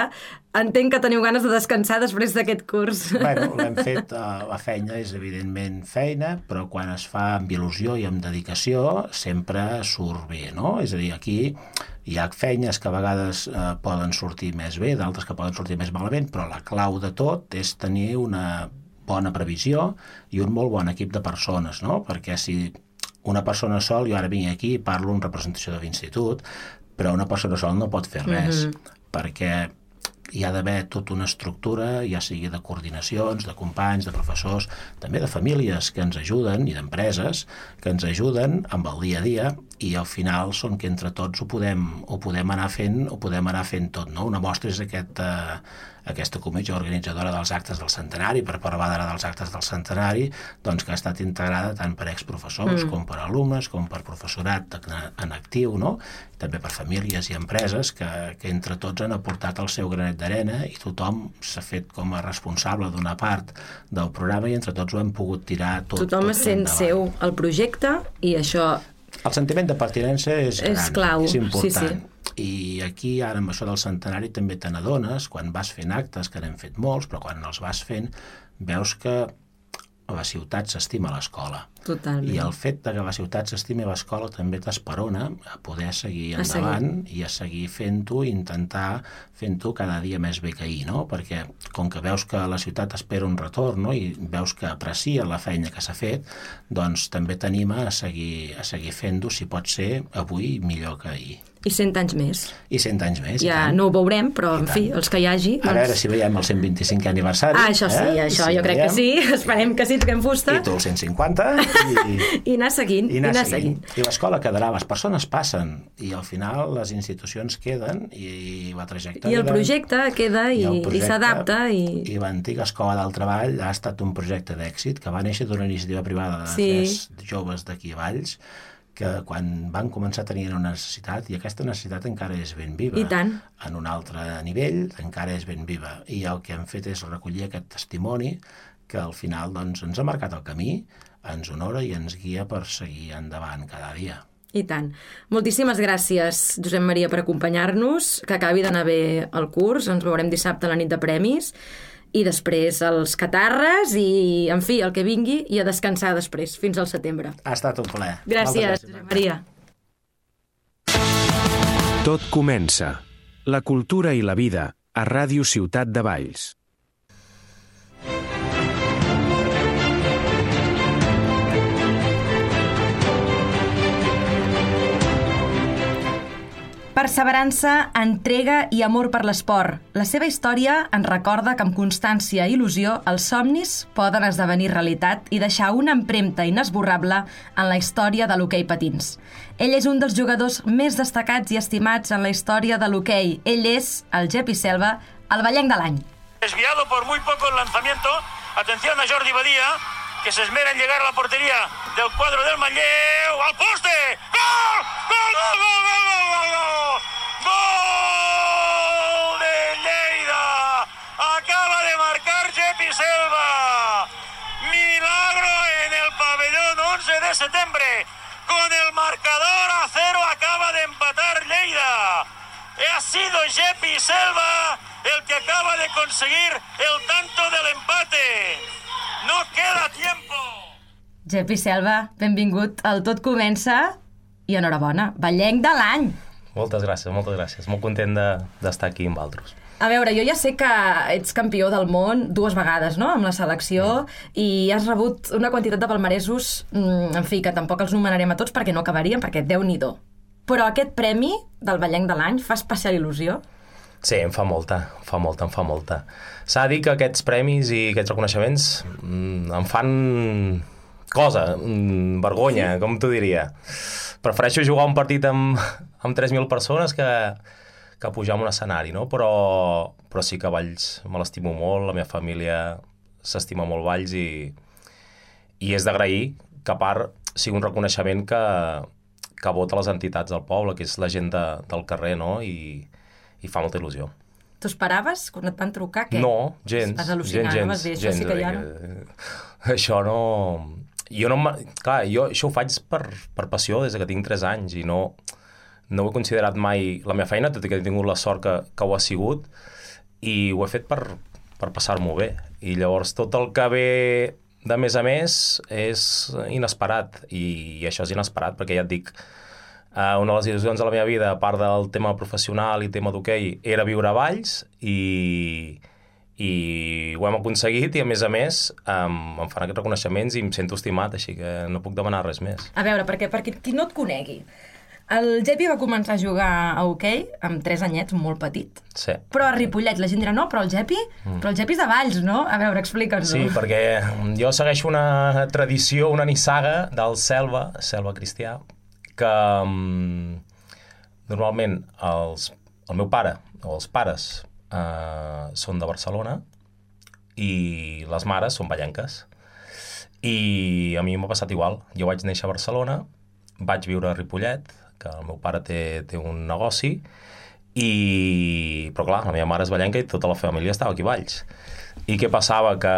entenc que teniu ganes de descansar després d'aquest curs. Bueno, l'hem fet, uh, la feina és evidentment feina, però quan es fa amb il·lusió i amb dedicació sempre surt bé, no? És a dir, aquí hi ha feines que a vegades uh, poden sortir més bé, d'altres que poden sortir més malament, però la clau de tot és tenir una bona previsió i un molt bon equip de persones, no? Perquè si una persona sol, jo ara vinc aquí i parlo en representació de l'institut, però una persona sola no pot fer res, Mhm. perquè hi ha d'haver tota una estructura, ja sigui de coordinacions, de companys, de professors, també de famílies que ens ajuden i d'empreses que ens ajuden amb el dia a dia, i al final són que entre tots ho podem, ho podem anar fent, ho podem anar fent tot, no? Una mostra és aquest, eh, aquesta comissió organitzadora dels actes del centenari, per parlar d'ara dels actes del centenari, doncs que ha estat integrada tant per exprofessors Mm. com per alumnes, com per professorat en actiu, no? També per famílies i empreses que, que entre tots han aportat el seu granet d'arena, i tothom s'ha fet com a responsable d'una part del programa, i entre tots ho hem pogut tirar tot, Tothom tot sent endavant. seu el projecte, i això El sentiment de pertinença és gran, És clau, és important. sí, sí. I aquí, ara, amb això del centenari, també te n'adones, quan vas fent actes, que n'hem fet molts, però quan els vas fent, veus que la ciutat s'estima l'escola. totalment. I el fet de que la ciutat s'estimi l'escola també t'esperona a poder seguir A seguir. endavant i a seguir fent-ho, i intentar fent-ho cada dia més bé que ahir, no? Perquè com que veus que la ciutat espera un retorn, no? I veus que aprecia la feina que s'ha fet, doncs també t'anima a seguir, a seguir fent-ho, si pot ser avui millor que ahir. I cent anys més. I cent anys més, i Ja tant. no ho veurem, però, I en fi, tant. els que hi hagi... A veure si veiem el cent vint-i-cinquè aniversari. Ah, això sí, eh? això Si jo crec veiem. que sí. Esperem que sí, toquem fusta. I tu el cent cinquanta, i... I anar seguint, I anar, anar seguint. seguint. I l'escola quedarà, les persones passen, i al final les institucions queden, i la trajectòria... I el projecte queda i, el i projecte, s'adapta. I... I l'antiga Escola del Treball ha estat un projecte d'èxit que va néixer d'una iniciativa privada de Sí. tres joves d'aquí a Valls, que quan van començar tenien una necessitat, i aquesta necessitat encara és ben viva. I tant. En un altre nivell encara és ben viva. I el que hem fet és recollir aquest testimoni, que al final doncs, ens ha marcat el camí, ens honora i ens guia per seguir endavant cada dia. I tant. Moltíssimes gràcies, Josep Maria, per acompanyar-nos, que acabi d'anar bé el curs, ens veurem dissabte a la nit de premis, i després els catarres, i, en fi, el que vingui, i a descansar després, fins al setembre. Ha estat un plaer. Gràcies, Josep Maria. Tot comença. La cultura i la vida, a Ràdio Ciutat de Valls. Perseverança, entrega i amor per l'esport. La seva història ens recorda que amb constància i il·lusió els somnis poden esdevenir realitat i deixar una empremta inesborrable en la història de l'hoquei patins. Ell és un dels jugadors més destacats i estimats en la història de l'hoquei. Ell és el Gepi Selva, el ballenc de l'any. Desviado por muy poco el lanzamiento. Atención a Jordi Badía, que se esmera en llegar a la portería del cuadro del Manlleu. ¡Al poste! ¡Gol! ¡Gol, gol, gol, gol, gol, gol, gol! ¡Gol de Lleida! Acaba de marcar Gepi Selva. Milagro en el pabellón once de septiembre. Con el marcador a cero acaba de empatar Lleida. Ha sido Gepi Selva el que acaba de conseguir el tanto del empate. No queda tiempo. Gepi Selva, benvingut al Tot Comença i enhorabona, ballenc de l'any. Moltes gràcies, moltes gràcies. Molt content de- d'estar aquí amb altres. A veure, jo ja sé que ets campió del món dues vegades, no?, amb la selecció, i has rebut una quantitat de palmaresos, en fi, que tampoc els nomenarem a tots perquè no acabaríem, perquè Déu-n'hi-do. Però aquest premi del ballenc de l'any fa especial il·lusió? Sí, em fa molta, em fa molta, em fa molta. S'ha de dir que aquests premis i aquests reconeixements mm, em fan cosa, mm, vergonya, sí? Com t'ho diria. Prefereixo jugar un partit amb, amb tres mil persones que, que pujar a un escenari, no? Però, però sí que Valls me l'estimo molt, la meva família s'estima molt Valls, i, i és d'agrair que a part sigui un reconeixement que, que vota les entitats del poble, que és la gent de, del carrer, no? I, i fa molta il·lusió. T'ho esperaves quan et van trucar? Què? No, gens. Vas al·lucinar, gens, no? Vas dir, això gens, sí que ja no... Això no... Jo no... Clar, jo això ho faig per, per passió des que tinc tres anys, i no, no ho he considerat mai la meva feina, tot i que he tingut la sort que, que ho ha sigut, i ho he fet per, per passar-m'ho bé. I llavors tot el que ve de més a més és inesperat, i, i això és inesperat, perquè ja et dic, Uh, una de les il·lusions de la meva vida, a part del tema professional i tema d'hoquei, era viure a Valls, i, i ho hem aconseguit, i a més a més um, em fan aquests reconeixements i em sento estimat, així que no puc demanar res més. A veure, perquè, perquè qui no et conegui, El Gepi va començar a jugar a hoquei amb tres anyets, molt petit. Sí. Però a Ripollet la gent dirà, no, però el Gepi, mm. però el Gepi és de Valls, no? A veure, explica'ns-ho. Sí, perquè jo segueixo una tradició, una nissaga del Selva, Selva Cristià, que um, normalment els, el meu pare, o els pares, uh, són de Barcelona i les mares són vallenques. I a mi m'ha passat igual. Jo vaig néixer a Barcelona, vaig viure a Ripollet, que el meu pare té, té un negoci, i... però clar, la meva mare és vallenca i tota la família estava aquí a Valls. I què passava? Que...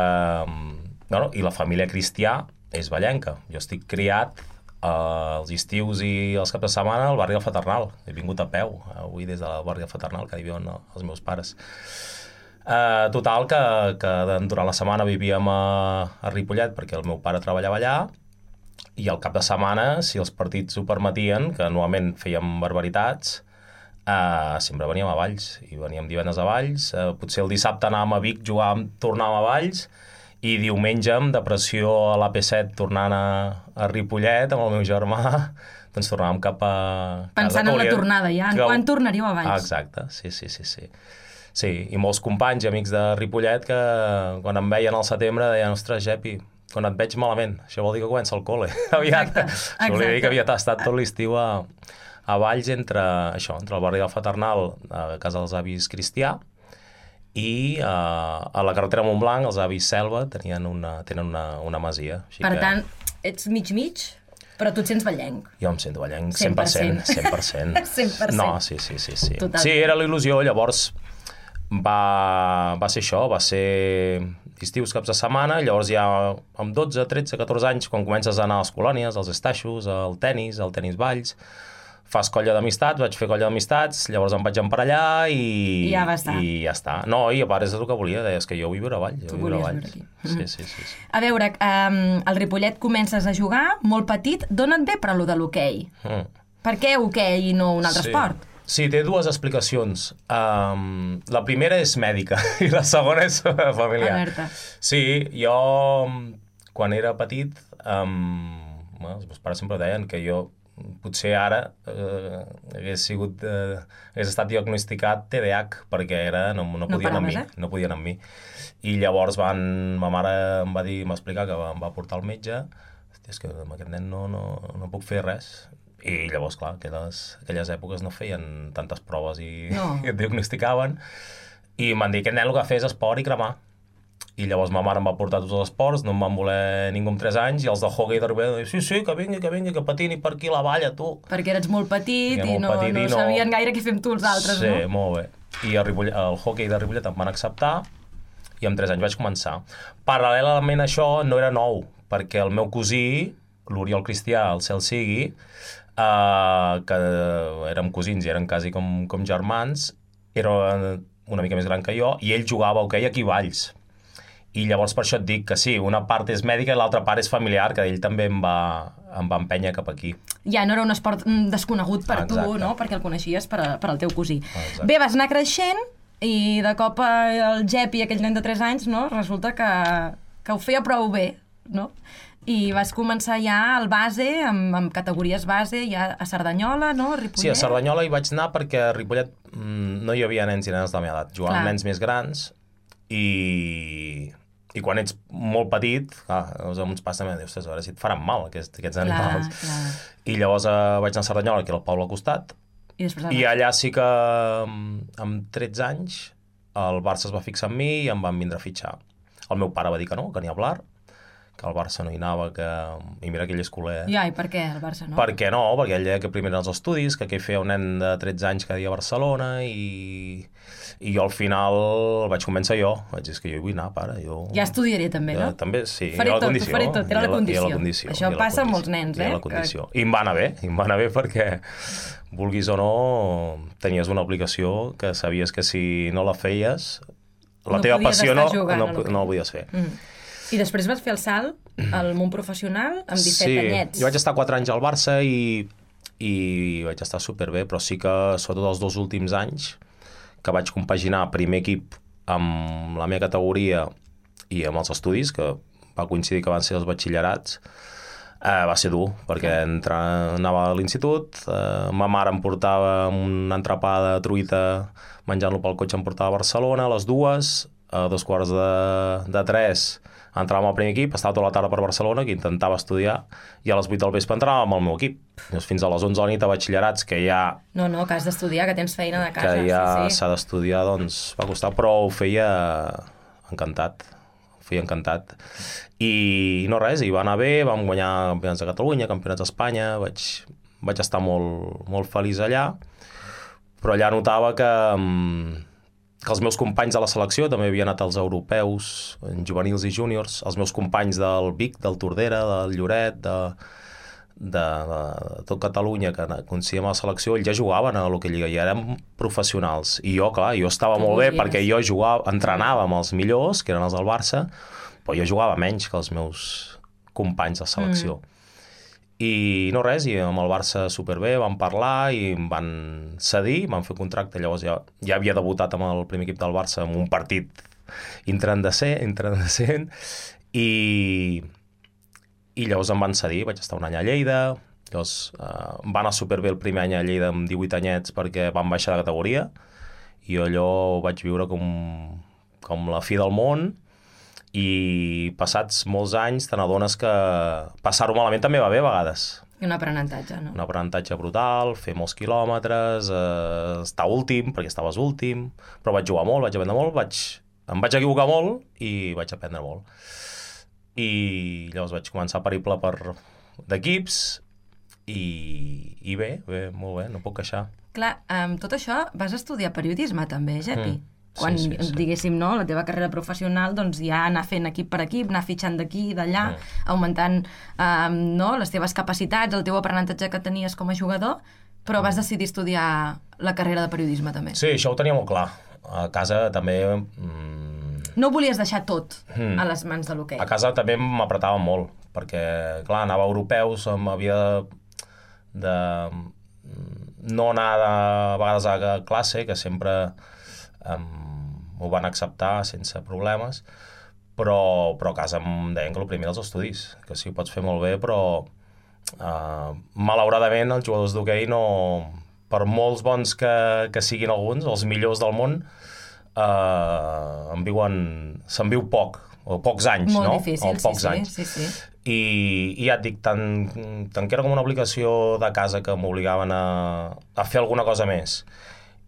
Bueno, i la família Cristià és vallenca. Jo estic criat eh, els estius i els caps de setmana al barri del Fraternal. He vingut a peu, avui des del barri del Fraternal, que hi viuen els meus pares. Eh, total, que, que durant la setmana vivíem a, a Ripollet perquè el meu pare treballava allà, i al cap de setmana, si els partits ho permetien, que normalment fèiem barbaritats, eh, sempre veníem a Valls, i veníem divendres a Valls, eh, potser el dissabte anàvem a Vic, jugàvem, tornàvem a Valls, i diumenge, amb depressió a l'A P set, tornant a, a Ripollet, amb el meu germà, doncs tornàvem cap a... Pensant en la tornada, ja. En quan tornaríeu a Valls? Ah, exacte, sí, sí, sí, sí. Sí, i molts companys i amics de Ripollet que quan em veien al setembre deien, ostres, Gepi, quan et veig malament, això vol dir que comença el col·le. Aviat. Exacte, exacte. Això vol dir que havia estat tot l'estiu a, a Valls entre, això, entre el barri del Fraternal, a casa dels avis Cristià, i a, a la carretera Montblanc, els avis Selva tenien una, tenen una, una masia. Així per que... tant, ets mig-mig, però tu et sents vallenc. Jo em sento vallenc, cent per cent. cent per cent. cent per cent. No, sí, sí, sí. Sí, Totalment. Sí, era la il·lusió, llavors va, va ser això, va ser estius caps de setmana, llavors ja amb dotze, tretze, catorze anys, quan comences a anar a les colònies, als estaixos, al tennis, al tenis Valls, fas colla d'amistats, vaig fer colla d'amistats, llavors em vaig emparellar i... I ja va estar. I ja està. No, i a part és el que volia, deies que jo vull viure a Valls. Tu volies viure aquí. Sí, sí, sí, sí. A veure, um, al Ripollet comences a jugar molt petit, d'on et ve per allò de l'hoquei? Mm. Per què hoquei i no un altre sí. esport? Sí, té dues explicacions. Um, la primera és mèdica i la segona és familiar. Alerta. Sí, jo, quan era petit, um, bueno, els meus pares sempre deien que jo potser ara eh, hagués sigut eh, hagués estat diagnosticat T D A H perquè era, no, no podien no amb mi, eh? no podien amb mi. I llavors van, ma mare em va dir, m'explicar que em va portar al metge, hòstia, és que amb aquest nen no, no, no puc fer res. I llavors, clar, aquelles, aquelles èpoques no feien tantes proves i, no. i et diagnosticaven. I em van dir que el nen el que fes esport i cremar. I llavors ma mare em va portar tots els esports, no em van voler ningú amb tres anys, i els de hockey de Ripollet deien, sí, sí, que vingui, que vingui, que patini per aquí la valla, tu. Perquè eres molt petit i, molt no, petit no, i no sabien gaire què fem tu els altres, sí, no? Sí, molt bé. I el, Ripollet, el hockey de Ripollet em van acceptar, i amb tres anys vaig començar. Paral·lelament a això no era nou, perquè el meu cosí, l'Oriol Cristià, el cel sigui, Uh, que érem cosins i eren quasi com, com germans, era una mica més gran que jo, i ell jugava a hoquei aquí a Valls. I llavors per això et dic que sí, una part és mèdica i l'altra part és familiar, que ell també em va, em va empènyer cap aquí. Ja no era un esport desconegut per Exacte. tu, no? Perquè el coneixies per, a, per al teu cosí. Exacte. Bé, vas anar creixent i de cop el Gepi, aquell nen de tres anys, no? Resulta que, que ho feia prou bé, no? I vas començar ja al base, amb, amb categories base, ja a Cerdanyola, no? A Ripollet. Sí, a Cerdanyola hi vaig anar perquè a Ripollet mm, no hi havia nens i nenes de la meva edat. Jugaven nens més grans i, i quan ets molt petit, clar, els uns pares també dius, a veure si et faran mal aquests, aquests animals. Clar, clar. I llavors eh, vaig anar a Cerdanyola, que era el poble al costat, i, i allà sí que amb tretze anys el Barça es va fixar en mi i em van vindre a fitxar. El meu pare va dir que no, que ni hablar, que el Barça no hi anava, que... i mira que ell és culer. Ja, i per què el Barça no? Per què no? Perquè ell deia que primer eren els estudis, que què feia un nen de tretze anys cada dia a Barcelona, i, i jo al final el vaig convèncer jo. Vaig dir, és que jo hi vull anar, pare. Jo... Ja estudiaré també, no? Ja, també, sí. Faré tot, ho faré tot, era la condició. la condició. Això passa amb molts nens, eh? La condició. I em va anar bé, i em va anar bé perquè, vulguis o no, tenies una obligació que sabies que si no la feies, la no teva passió no, jugant, no, no la podies fer. Mm. I després vas fer el salt al món professional amb disset sí, anyets. Jo vaig estar quatre anys al Barça i, i vaig estar superbé, però sí que sobretot els dos últims anys que vaig compaginar primer equip amb la meva categoria i amb els estudis, que va coincidir que van ser els batxillerats, Uh, va ser dur, perquè entra, anava a l'institut, uh, ma mare em portava un entrepà de truita, menjant-lo pel cotxe em portava a Barcelona, a les dues, a dos quarts de, de tres entràvem al primer equip, estava tota la tarda per Barcelona, que intentava estudiar, i a les vuit del vespre entràvem al meu equip. Llavors, fins a les onze de la nit a batxillerats, que ja... No, no, que has d'estudiar, que tens feina de casa. Que ja sí, sí. s'ha d'estudiar, doncs va costar, però ho feia encantat. Fui encantat. I no res, i va anar bé, vam guanyar campionats de Catalunya, campionats d'Espanya, vaig, vaig estar molt, molt feliç allà, però allà notava que, que els meus companys de la selecció també havien anat als europeus, en juvenils i júniors, els meus companys del Vic, del Tordera, del Lloret, de, de, de, de tot Catalunya, que coneixíem a la selecció, ells ja jugaven a l'Hockey Lliga, i érem professionals. I jo, clar, jo estava molt bé, perquè jo jugava, entrenava amb els millors, que eren els del Barça, però jo jugava menys que els meus companys de selecció. Mm. I no res, i amb el Barça superbé, vam parlar i em van cedir, van fer contracte, llavors ja, ja havia debutat amb el primer equip del Barça en un partit intrandescent, intrandescent i, i llavors em van cedir, vaig estar un any a Lleida, llavors eh, va anar superbé el primer any a Lleida amb divuit anyets perquè van baixar de categoria, i allò ho vaig viure com, com la fi del món, i passats molts anys te n'adones que passar-ho malament també va bé a vegades. Un aprenentatge, no? Un aprenentatge brutal, fer molts quilòmetres, eh, estar últim, perquè estaves últim, però vaig jugar molt, vaig aprendre molt, vaig, em vaig equivocar molt i vaig aprendre molt. I llavors vaig començar a periple per d'equips i, i bé, bé, molt bé, no puc queixar. Clar, amb tot això vas estudiar periodisme també, Gepi? Mm. Quan, sí, sí, sí. diguéssim, no, la teva carrera professional, doncs ja anar fent equip per equip, anar fitxant d'aquí i d'allà, mm. augmentant um, no, les teves capacitats, el teu aprenentatge que tenies com a jugador, però vas decidir estudiar la carrera de periodisme també. Sí, això ho tenia molt clar. A casa també... Mm... No volies deixar tot mm. a les mans de l'hoquei. A casa també m'apretava molt, perquè, clar, anava a europeus, m'havia de... no anar de, a vegades a classe, que sempre... Um, ho van acceptar sense problemes, però, però a casa em deien que el primer els estudis, que sí, ho pots fer molt bé, però uh, malauradament els jugadors d'hoquei no, per molts bons que, que siguin alguns, els millors del món, uh, en viuen, se'n viu poc, o pocs anys, molt no? Difícil, o pocs sí, anys. Sí, sí. I, i ja et dic, tant, tant que era com una obligació de casa que m'obligaven a, a fer alguna cosa més,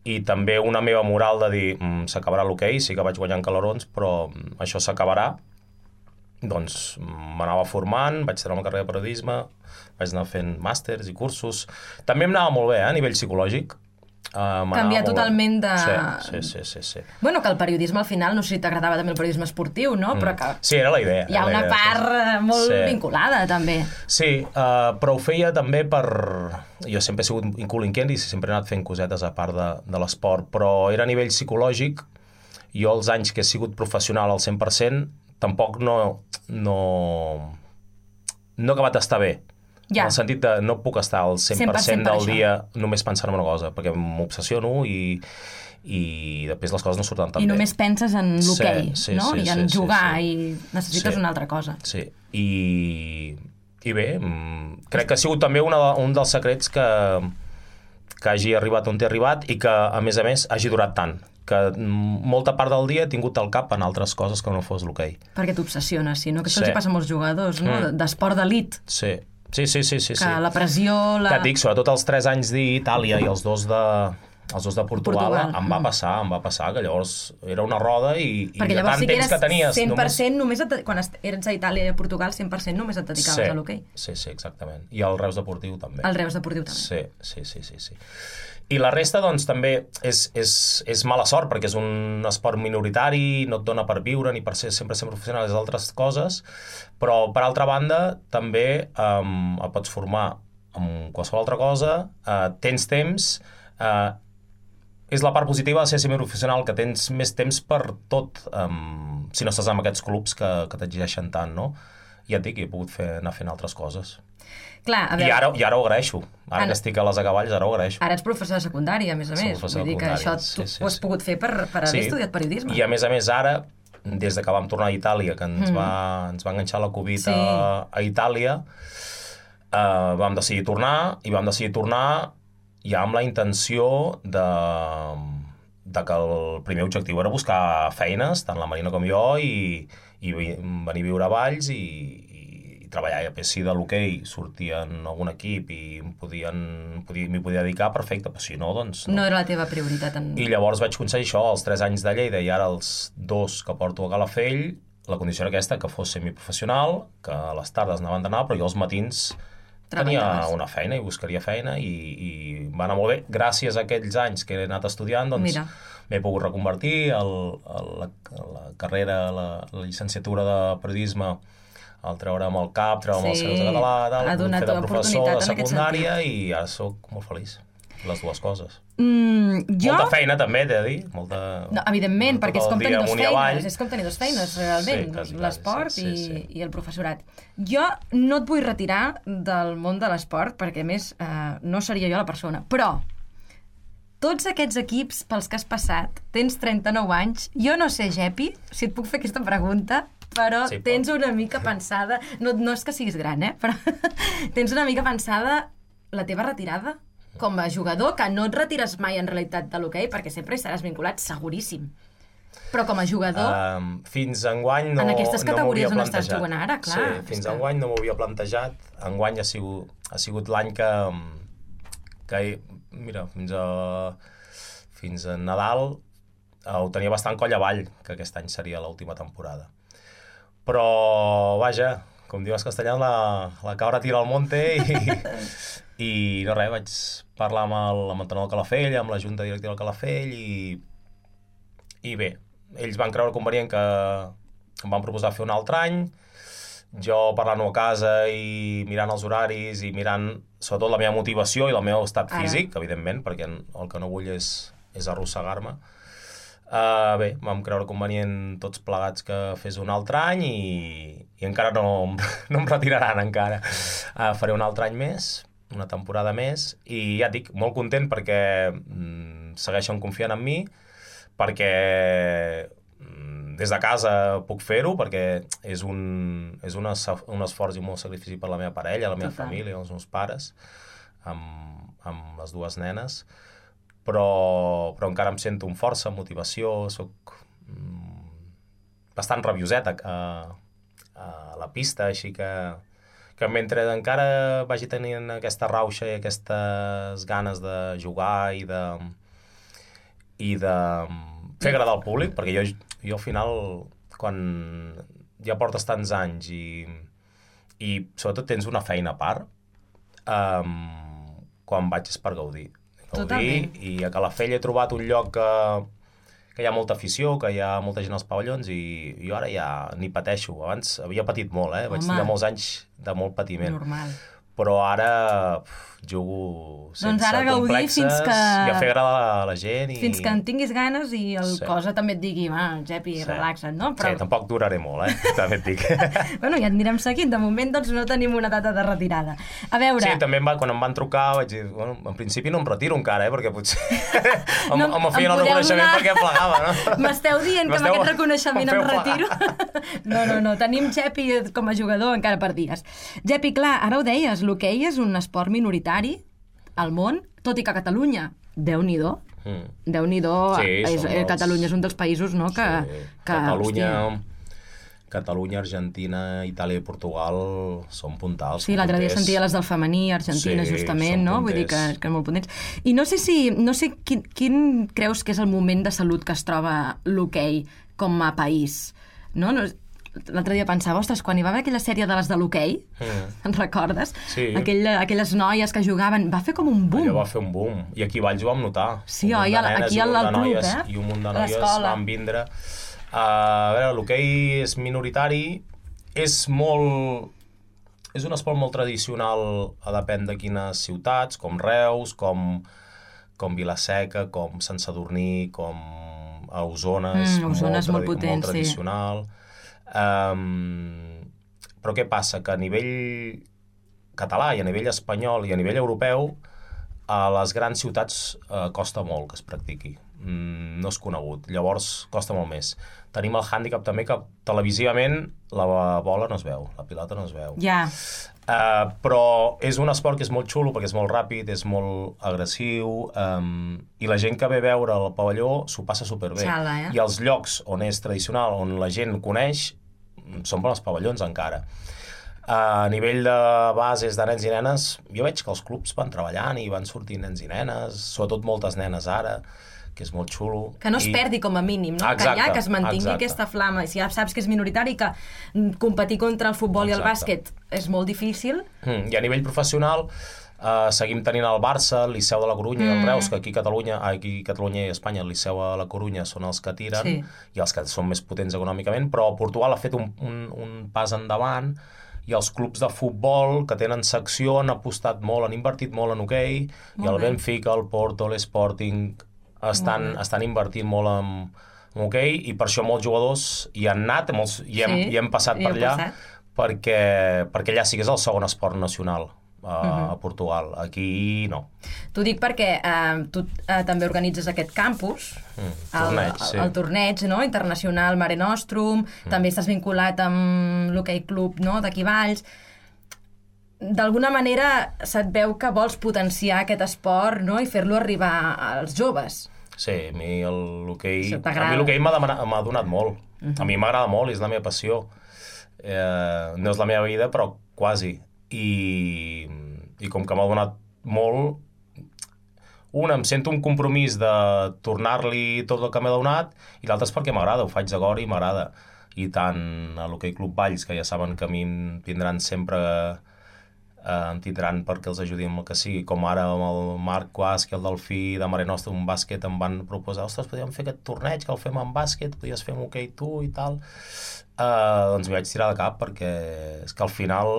i també una meva moral de dir mm, s'acabarà l'hoquei, sí que vaig guanyant calarons, però mm, això s'acabarà, doncs m'anava formant, vaig treure una carrera de periodisme, vaig anar fent màsters i cursos, també em anava molt bé, eh, a nivell psicològic. Uh, canviar totalment de... Sí, sí, sí, sí. Bueno, que el periodisme al final, no sé si t'agradava també el periodisme esportiu, no? Mm. Però que... Sí, era la idea. Hi ha una idea, part sí. molt sí. vinculada, també. Sí, uh, però ho feia també per... Jo sempre he sigut incolinquent i sempre he anat fent cosetes a part de, de l'esport, però era a nivell psicològic. Jo els anys que he sigut professional al cent per cent tampoc no... no, no he acabat d'estar bé. Ja. En el sentit de no puc estar al cent per cent del dia només pensant en una cosa, perquè m'obsessiono i, i després les coses no surten tan bé. I bé. només penses en l'hoquei, sí, sí, no? Sí, I en sí, jugar, sí, sí. I necessites sí. una altra cosa. Sí, i, i bé, crec que ha sigut també una, un dels secrets que, que hagi arribat on he arribat i que, a més a més, hagi durat tant. Que molta part del dia he tingut el cap en altres coses que no fos l'hoquei. Perquè t'obsessiones, sí, no? Que això sí. els hi passa a molts jugadors, no? Mm. D'esport d'elit. Sí. Sí, sí, sí, sí. Que sí. La pressió... La... Que et dic, sobretot els tres anys d'Itàlia i els dos de, els dos de Portugal, Portugal, em va passar, em va passar, que llavors era una roda i, i de tant sí temps que tenies... cent per cent només... només et, quan eres a Itàlia i a Portugal, cent per cent només et dedicaves sí, a l'hoquei. Sí, sí, exactament. I al Reus Deportiu també. Al Reus Deportiu també. Sí, sí, sí, sí, sí. I la resta, doncs, també és, és, és mala sort, perquè és un esport minoritari, no et dona per viure ni per ser sempre ser professional, és altres coses, però, per altra banda, també um, et pots formar amb qualsevol altra cosa, uh, tens temps, uh, és la part positiva de ser semiprofessional, que tens més temps per tot, um, si no estàs en aquests clubs que, que t'exigeixen tant, no? Ja et dic, he pogut fer, anar fent altres coses. Clar, a veure... I ara, i ara ho agraeixo. Ara que estic a les acaballes, ara ho agraeixo. Ara ets professor de secundària, a més a més. Vull dir que això tu sí, sí, ho has pogut fer per, per haver sí. estudiat periodisme. I a més a més ara, des de que vam tornar a Itàlia, que ens, mm. va, ens va enganxar la Covid sí. a, a Itàlia, uh, vam decidir tornar, i vam decidir tornar ja amb la intenció de, de que el primer objectiu era buscar feines, tant la Marina com jo, i, i venir a viure a Valls i, i treballar. I si de l'hoquei sortia en algun equip i m'hi podien, podia, podia dedicar, perfecte, però si no, doncs... No, no era la teva prioritat. En... I llavors vaig aconseguir això, els tres anys de Lleida i ara els dos que porto a Calafell. La condició era aquesta, que fos semiprofessional, que a les tardes anaven d'anar, però jo als matins tenia una feina i buscaria feina i, i va anar molt bé. Gràcies a aquells anys que he anat estudiant, doncs m'he pogut reconvertir a la, la carrera, la, la llicenciatura de periodisme, al treure amb el cap, treure amb sí, els seus de català, tal, fer de professor de secundària i ara soc molt feliç. Les dues coses. Mm, jo... Molta feina també, t'he de dir. Molta... No, evidentment, perquè és com tenir dos feines, és com tenir dos feines, realment, sí, l'esport sí, sí, sí. I, i el professorat. Jo no et vull retirar del món de l'esport, perquè a més eh, no seria jo la persona, però tots aquests equips pels que has passat, tens trenta-nou anys, jo no sé, Gepi, si et puc fer aquesta pregunta, però sí, tens una mica pensada, no, no és que siguis gran, eh, però tens una mica pensada la teva retirada? Com a jugador, que no et retires mai en realitat de l'hoquei, perquè sempre hi seràs vinculat, seguríssim. Però com a jugador... Um, fins enguany no, en aquestes categories no on estàs jugant ara, clar. Sí, fins que... enguany no m'ho havia plantejat. Enguany ha sigut, ha sigut l'any que, que... Mira, fins a, fins a Nadal eh, ho tenia bastant coll avall, que aquest any seria l'última temporada. Però, vaja, com diu en castellà, la, la cabra tira al monte i... I no res, vaig parlar amb el, amb el tenor del Calafell, amb la junta directiva del Calafell i, i bé, ells van creure convenient que em van proposar fer un altre any. Jo parlant-ho a casa i mirant els horaris i mirant sobretot la meva motivació i el meu estat físic, Ara. evidentment, perquè el que no vull és, és arrossegar-me. Uh, bé, vam creure convenient tots plegats que fes un altre any i, i encara no, no em retiraran encara. Uh, faré un altre any més, una temporada més, i ja et dic, molt content perquè mm, segueixen confiant en mi, perquè mm, des de casa puc fer-ho, perquè és un, és un, un esforç i molt sacrifici per la meva parella, la meva Total. família, els meus pares, amb, amb les dues nenes, però, però encara em sento amb força, motivació, soc mm, bastant rabioset a, a, a la pista, així que que mentre encara vagi tenint aquesta rauxa i aquestes ganes de jugar i de, i de fer agradar al públic, perquè jo, jo al final, quan ja portes tants anys i, i sobretot tens una feina a part, um, quan vaig és per gaudir. gaudir Totalment. I a Calafell he trobat un lloc que, que hi ha molta afició, que hi ha molta gent als pavellons i jo ara ja ni pateixo. Abans havia patit molt, eh? Vaig tenir molts anys de molt patiment. Normal. Però ara uf, jugo sense doncs ara complexes fins que... i a fer agradar a la gent. I... Fins que en tinguis ganes i el sí. cosa també et digui, va, Gepi, sí. relaxa't, no? Però... Sí, tampoc duraré molt, eh? També et dic. Bueno, ja et anirem seguint. De moment, doncs, no tenim una data de retirada. A veure... Sí, també em va, quan em van trucar vaig dir, bueno, en principi no em retiro encara, eh? Perquè potser em, no, em feien el reconeixement donar... perquè plegava, no? M'esteu dient que amb aquest reconeixement em retiro? No, no, no. Tenim Gepi com a jugador encara per dies. Gepi, clar, ara ho deies, l'hoquei és un esport minoritari al món, tot i que a Catalunya, Déu-n'hi-do, mm. Déu-n'hi-do, sí, és, els... Catalunya és un dels països, no?, que... Sí. que Catalunya, Catalunya, Argentina, Itàlia i Portugal són puntals. Sí, l'altre dia sentia les del femení, Argentina, sí, justament, no? Vull dir que, que són molt potents. I no sé si, no sé quin, quin creus que és el moment de salut que es troba l'hoquei com a país, no? no L'altre dia pensava, ostres, quan hi va haver aquella sèrie de les de l'hoquei, mm. en recordes? Sí. Aquell, aquelles noies que jugaven, va fer com un boom. Allò va fer un boom, i aquí a Valls ho vam notar. Sí, oi, aquí al club, noies, eh? I un munt de noies van vindre. Uh, a veure, l'hoquei és minoritari, és molt... És un esport molt tradicional, a depèn de quines ciutats, com Reus, com, com Vila-seca, com Sant Sadurní, com a Osona, mm, és, Osona molt, és molt potent, molt tradicional. Sí. Um, però què passa? Que a nivell català i a nivell espanyol i a nivell europeu a les grans ciutats eh, costa molt que es practiqui. Mm, no és conegut, llavors costa molt més. Tenim el hàndicap també que televisivament la bola no es veu, la pilota no es veu. Ja. Uh, però és un esport que és molt xulo perquè és molt ràpid, és molt agressiu, um, i la gent que ve a veure el pavelló s'ho passa superbé. Xala, eh? I els llocs on és tradicional, on la gent coneix, són per als pavellons encara. Uh, a nivell de bases de nens i nenes, jo veig que els clubs van treballant i van sortint nens i nenes, sobretot moltes nenes ara, que és molt xulo. Que no es I... perdi com a mínim, no? Exacte, que ja que es mantingui exacte. aquesta flama. Si ja saps que és minoritari, que competir contra el futbol exacte. I el bàsquet és molt difícil. Mm, I a nivell professional uh, seguim tenint el Barça, el Liceu de la Corunya mm. i el Reus, que aquí a Catalunya, aquí a Catalunya i a Espanya, el Liceu de la Corunya són els que tiren sí. i els que són més potents econòmicament, però Portugal ha fet un, un, un pas endavant i els clubs de futbol que tenen secció han apostat molt, han invertit molt en hoquei, i el bé. Benfica, el Porto, l'Sporting estan, estan invertint molt en, en hoquei, i per això molts jugadors hi han anat molts, i, hem, sí, i hem passat per allà passat. perquè, perquè allà sí que és el segon esport nacional a, uh-huh. a Portugal, aquí no. T'ho dic perquè eh, tu eh, també organitzes aquest campus, mm, torneig, el, sí. el, el torneig no? internacional Mare Nostrum, mm. també estàs vinculat amb l'Hockey Club no? d'aquí Valls. D'alguna manera se't veu que vols potenciar aquest esport no? i fer-lo arribar als joves. Sí, a mi l'hoquei a mi l'hoquei m'ha donat molt. Uh-huh. A mi m'agrada molt, és la meva passió. Eh, no és la meva vida, però quasi. I, i com que m'ha donat molt, una, em sento un compromís de tornar-li tot el que m'ha donat, i l'altre és perquè m'agrada, ho faig de cor i m'agrada. I tant a l'Hoquei Club Valls, que ja saben que a mi em tindran sempre... Uh, em tindran perquè els ajudi amb el que sigui, com ara amb el Marc Quas, que el Delfí de Mare Nostra, un bàsquet, em van proposar, ostres, podríem fer aquest torneig, que el fem en bàsquet, podries fer amb hoquei tu i tal. Uh, doncs m'hi vaig tirar de cap, perquè és que al final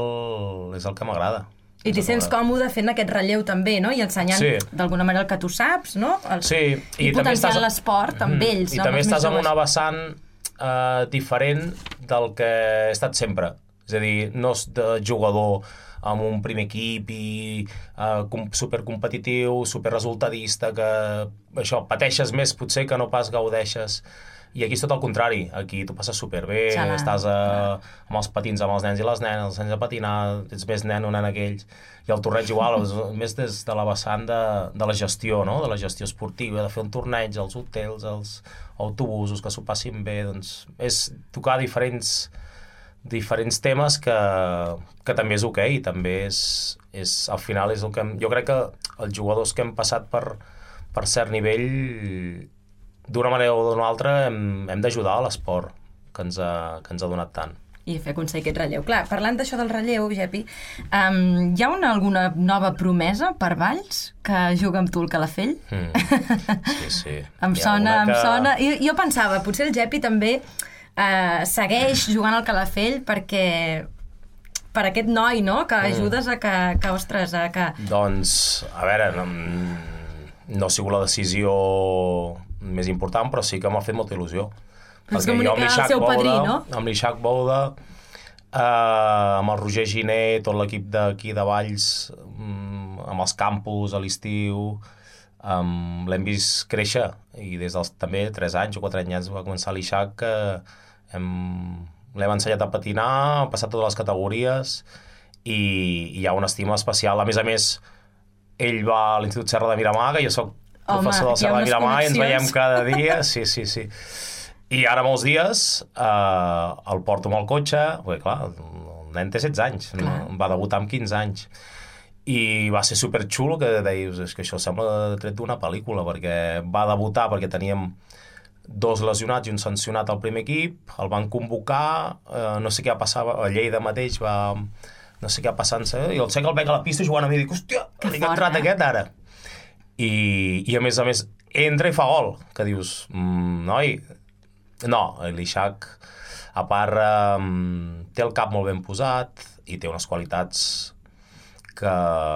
és el que m'agrada. I t'hi sents còmode fent aquest relleu també, no? I ensenyant sí. d'alguna manera el que tu saps, no? El... Sí. I, I potenciant estàs... l'esport amb ells. I també estàs en una vessant uh, diferent del que he estat sempre. És a dir, no és de jugador amb un primer equip i uh, supercompetitiu, superresultadista, que això, pateixes més potser que no pas gaudeixes. I aquí és tot el contrari, aquí tu passes superbé, Xalà. estàs a, amb els patins amb els nens i les nenes, els nens a patinar, ets més nen o nen aquells, i el torneig igual, més des de la vessant de, de la gestió, no? De la gestió esportiva, de fer un torneig, els hotels, els autobusos, que s'ho passin bé, doncs és tocar diferents... diferents temes que, que també és ok, també és, és al final és el que... Jo crec que els jugadors que hem passat per, per cert nivell, d'una manera o d'una altra, hem, hem d'ajudar a l'esport que, ens ha, que ens ha donat tant. I fer aconseguir aquest relleu. Clar, parlant d'això del relleu, Gepi, um, hi ha una, alguna nova promesa per Valls que juga amb tu el Calafell? Mm. Sí, sí. em sona, que... em sona... Jo, jo pensava, potser el Gepi també... Uh, segueix jugant al Calafell perquè per aquest noi, no? Que ajudes a que, que ostres, a que... Doncs, a veure, no, no ha sigut la decisió més important, però sí que m'ha fet molta il·lusió. És com el seu padrí, no? Amb l'Ixac Bouda, uh, amb el Roger Giner, tot l'equip d'aquí de Valls, um, amb els campus a l'estiu... Um, l'hem vist créixer i des dels també tres anys o quatre anys va començar l'Ixac que hem, l'hem ensenyat a patinar, ha passat totes les categories i, i hi ha una estima especial. A més a més, ell va a l'Institut Serra de Miramar, que jo soc professor del Serra de Miramar i ens veiem cada dia, sí, sí, sí. I ara molts dies eh, el porto amb el cotxe, perquè clar, el nen té setze anys, no? Va debutar amb quinze anys. I va ser superxulo, que deies, és que això sembla tret d'una pel·lícula, perquè va debutar perquè teníem dos lesionats i un sancionat al primer equip, el van convocar, eh, no sé què passava, a Lleida mateix va... no sé què passant, i el sé que el veig a la pista jugant a mi i dic, hòstia, que li ha entrat eh? aquest ara. I, I a més a més, entra i fa gol, que dius, mm, noi, no, l'Ixac, a part, eh, té el cap molt ben posat i té unes qualitats que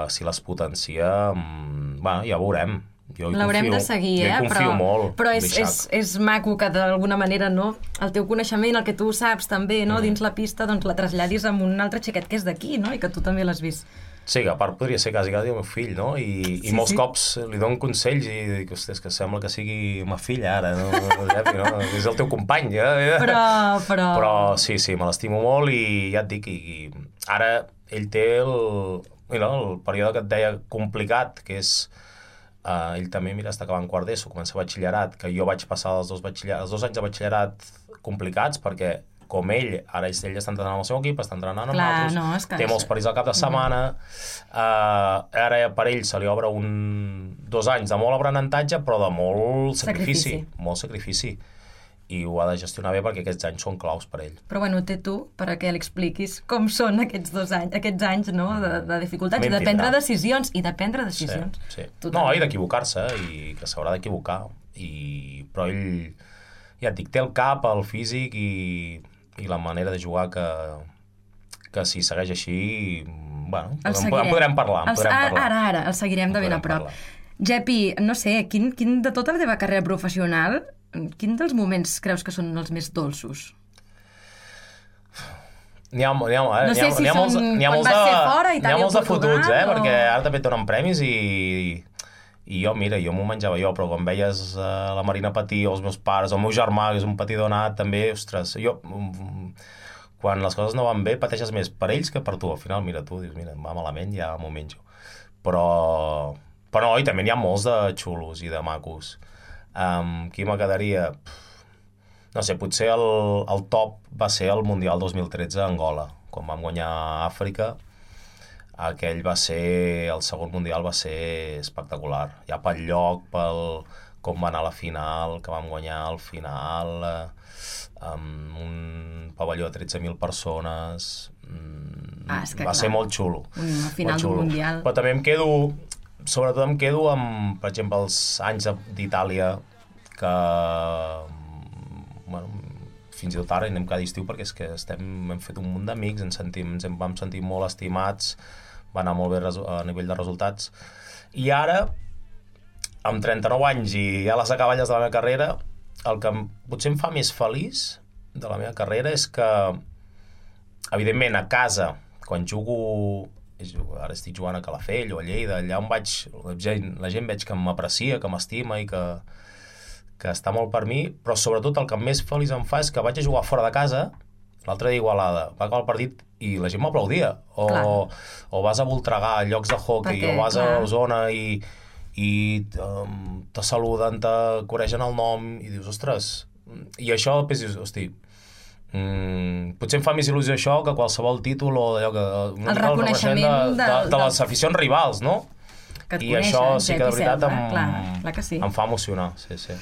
si les potencia, bueno, ja veurem. L'haurem de seguir, eh? Jo hi confio però, molt. Però és, és, és maco que d'alguna manera, no? El teu coneixement, el que tu saps també, no? Mm. Dins la pista, doncs la traslladis amb un altre xiquet que és d'aquí, no? I que tu també l'has vist Sí, que a part podria ser quasi quasi el meu fill, no? I, sí, i molts sí. cops li dono consells i dic, hòstia, és que sembla que sigui ma filla ara, no? no? És el teu company, eh? Però, però... Però sí, sí, me l'estimo molt i ja et dic, i, i ara ell té el, you know, el període que et deia complicat, que és... Uh, ell també, mira, està acabant quart d'ESO, comença batxillerat, que jo vaig passar els dos, els dos anys de batxillerat complicats, perquè com ell, ara ell està entrenant amb el seu equip, està entrenant amb Clar, altres, no, és que... té molts partits al cap de setmana, mm. uh, ara per ell se li obre un, dos anys de molt aprenentatge, però de molt sacrifici, sacrifici, molt sacrifici, i ho ha de gestionar bé perquè aquests anys són claus per ell. Però bueno, té tu, perquè li expliquis com són aquests dos anys, aquests anys no, de, de dificultats, i de prendre decisions, i de prendre decisions. Sí, sí. No, i d'equivocar-se, i que s'haurà d'equivocar, i... però ell, ja et dic, té el cap, el físic i... i la manera de jugar que, que si segueix així, bueno, en podrem parlar. En podrem parlar. Ara, ara, el seguirem de ben a prop. Jepi, no sé, quin, quin de tota la teva carrera professional, quin dels moments creus que són els més dolços? N'hi ha, n'hi ha, eh? No sé si són quan vas ser fora i n'hi ha molts de fotuts, eh? O... perquè ara també et donen premis i... I jo, mira, jo m'ho menjava jo, però quan veies uh, la Marina patir, o els meus pares, el meu germà, que és un patidor nat, també, ostres, jo... Quan les coses no van bé, pateixes més per ells que per tu. Al final, mira, tu dius, mira, va malament, ja m'ho menjo. Però... Però no, i també n'hi ha molts de xulos i de macos. Um, qui me quedaria? No sé, potser el, el top va ser el Mundial dos mil tretze a Angola, quan vam guanyar a Àfrica. Aquell va ser, el segon mundial va ser espectacular, ja pel lloc, pel com va anar a la final, que vam guanyar al final, eh, amb un pavelló de tretze mil persones, ah, és que va clar. ser molt xulo. Una final d'un mundial. Però també em quedo, sobretot em quedo amb, per exemple, els anys d'Itàlia, que, bueno, fins i tot ara anem cada estiu perquè és que estem, hem fet un munt d'amics, ens, sentim, ens vam sentir molt estimats, va anar molt bé a nivell de resultats. I ara, amb trenta-nou anys i ja a les acaballes de la meva carrera, el que potser em fa més feliç de la meva carrera és que, evidentment, a casa, quan jugo, ara estic jugant a Calafell o a Lleida, allà on vaig, la gent, la gent veig que m'aprecia, que m'estima i que, que està molt per mi, però sobretot el que més feliç em fa és que vaig a jugar fora de casa, l'altre dia a Igualada, va acabar el partit i la gent m'aplaudia, o, o vas a Voltregà, a llocs de hockey, perquè, o vas clar. a Osona i, i um, te saluden, te coregen el nom i dius, ostres, i això després dius, hosti, mm, potser em fa més il·lusió això que qualsevol títol o allò que... El reconeixement de, de, de, de les aficions rivals, no? Que et I coneixen, això sí que de veritat Selva, em, clar, clar que sí. em fa emocionar, sí, sí.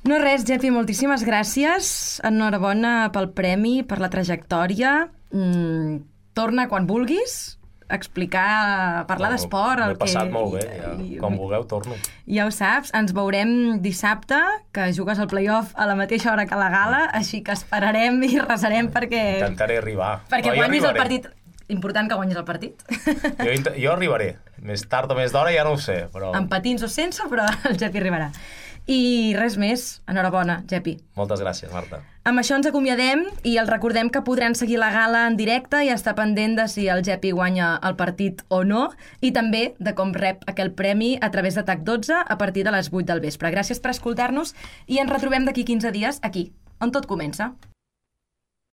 No res, Jepi, moltíssimes gràcies. Enhorabona pel premi, per la trajectòria. Mm, torna quan vulguis a explicar, a parlar no, d'esport. M'he passat que... molt bé, ja. I, quan vulgueu torno. Ja ho saps, ens veurem dissabte, que jugues al play-off a la mateixa hora que la gala, així que esperarem i resarem perquè... Intentaré arribar. Perquè no, guanyis el partit. Important que guanyis el partit. Jo, jo arribaré. Més tard o més d'hora ja no ho sé, però... Amb patins o sense, però el Jepi arribarà. I res més, enhorabona, Jepi. Moltes gràcies, Marta. Amb això ens acomiadem i els recordem que podran seguir la gala en directe i estar pendent de si el Jepi guanya el partit o no, i també de com rep aquell premi a través de T A C dotze a partir de les vuit del vespre. Gràcies per escoltar-nos i ens retrobem d'aquí quinze dies aquí, on tot comença.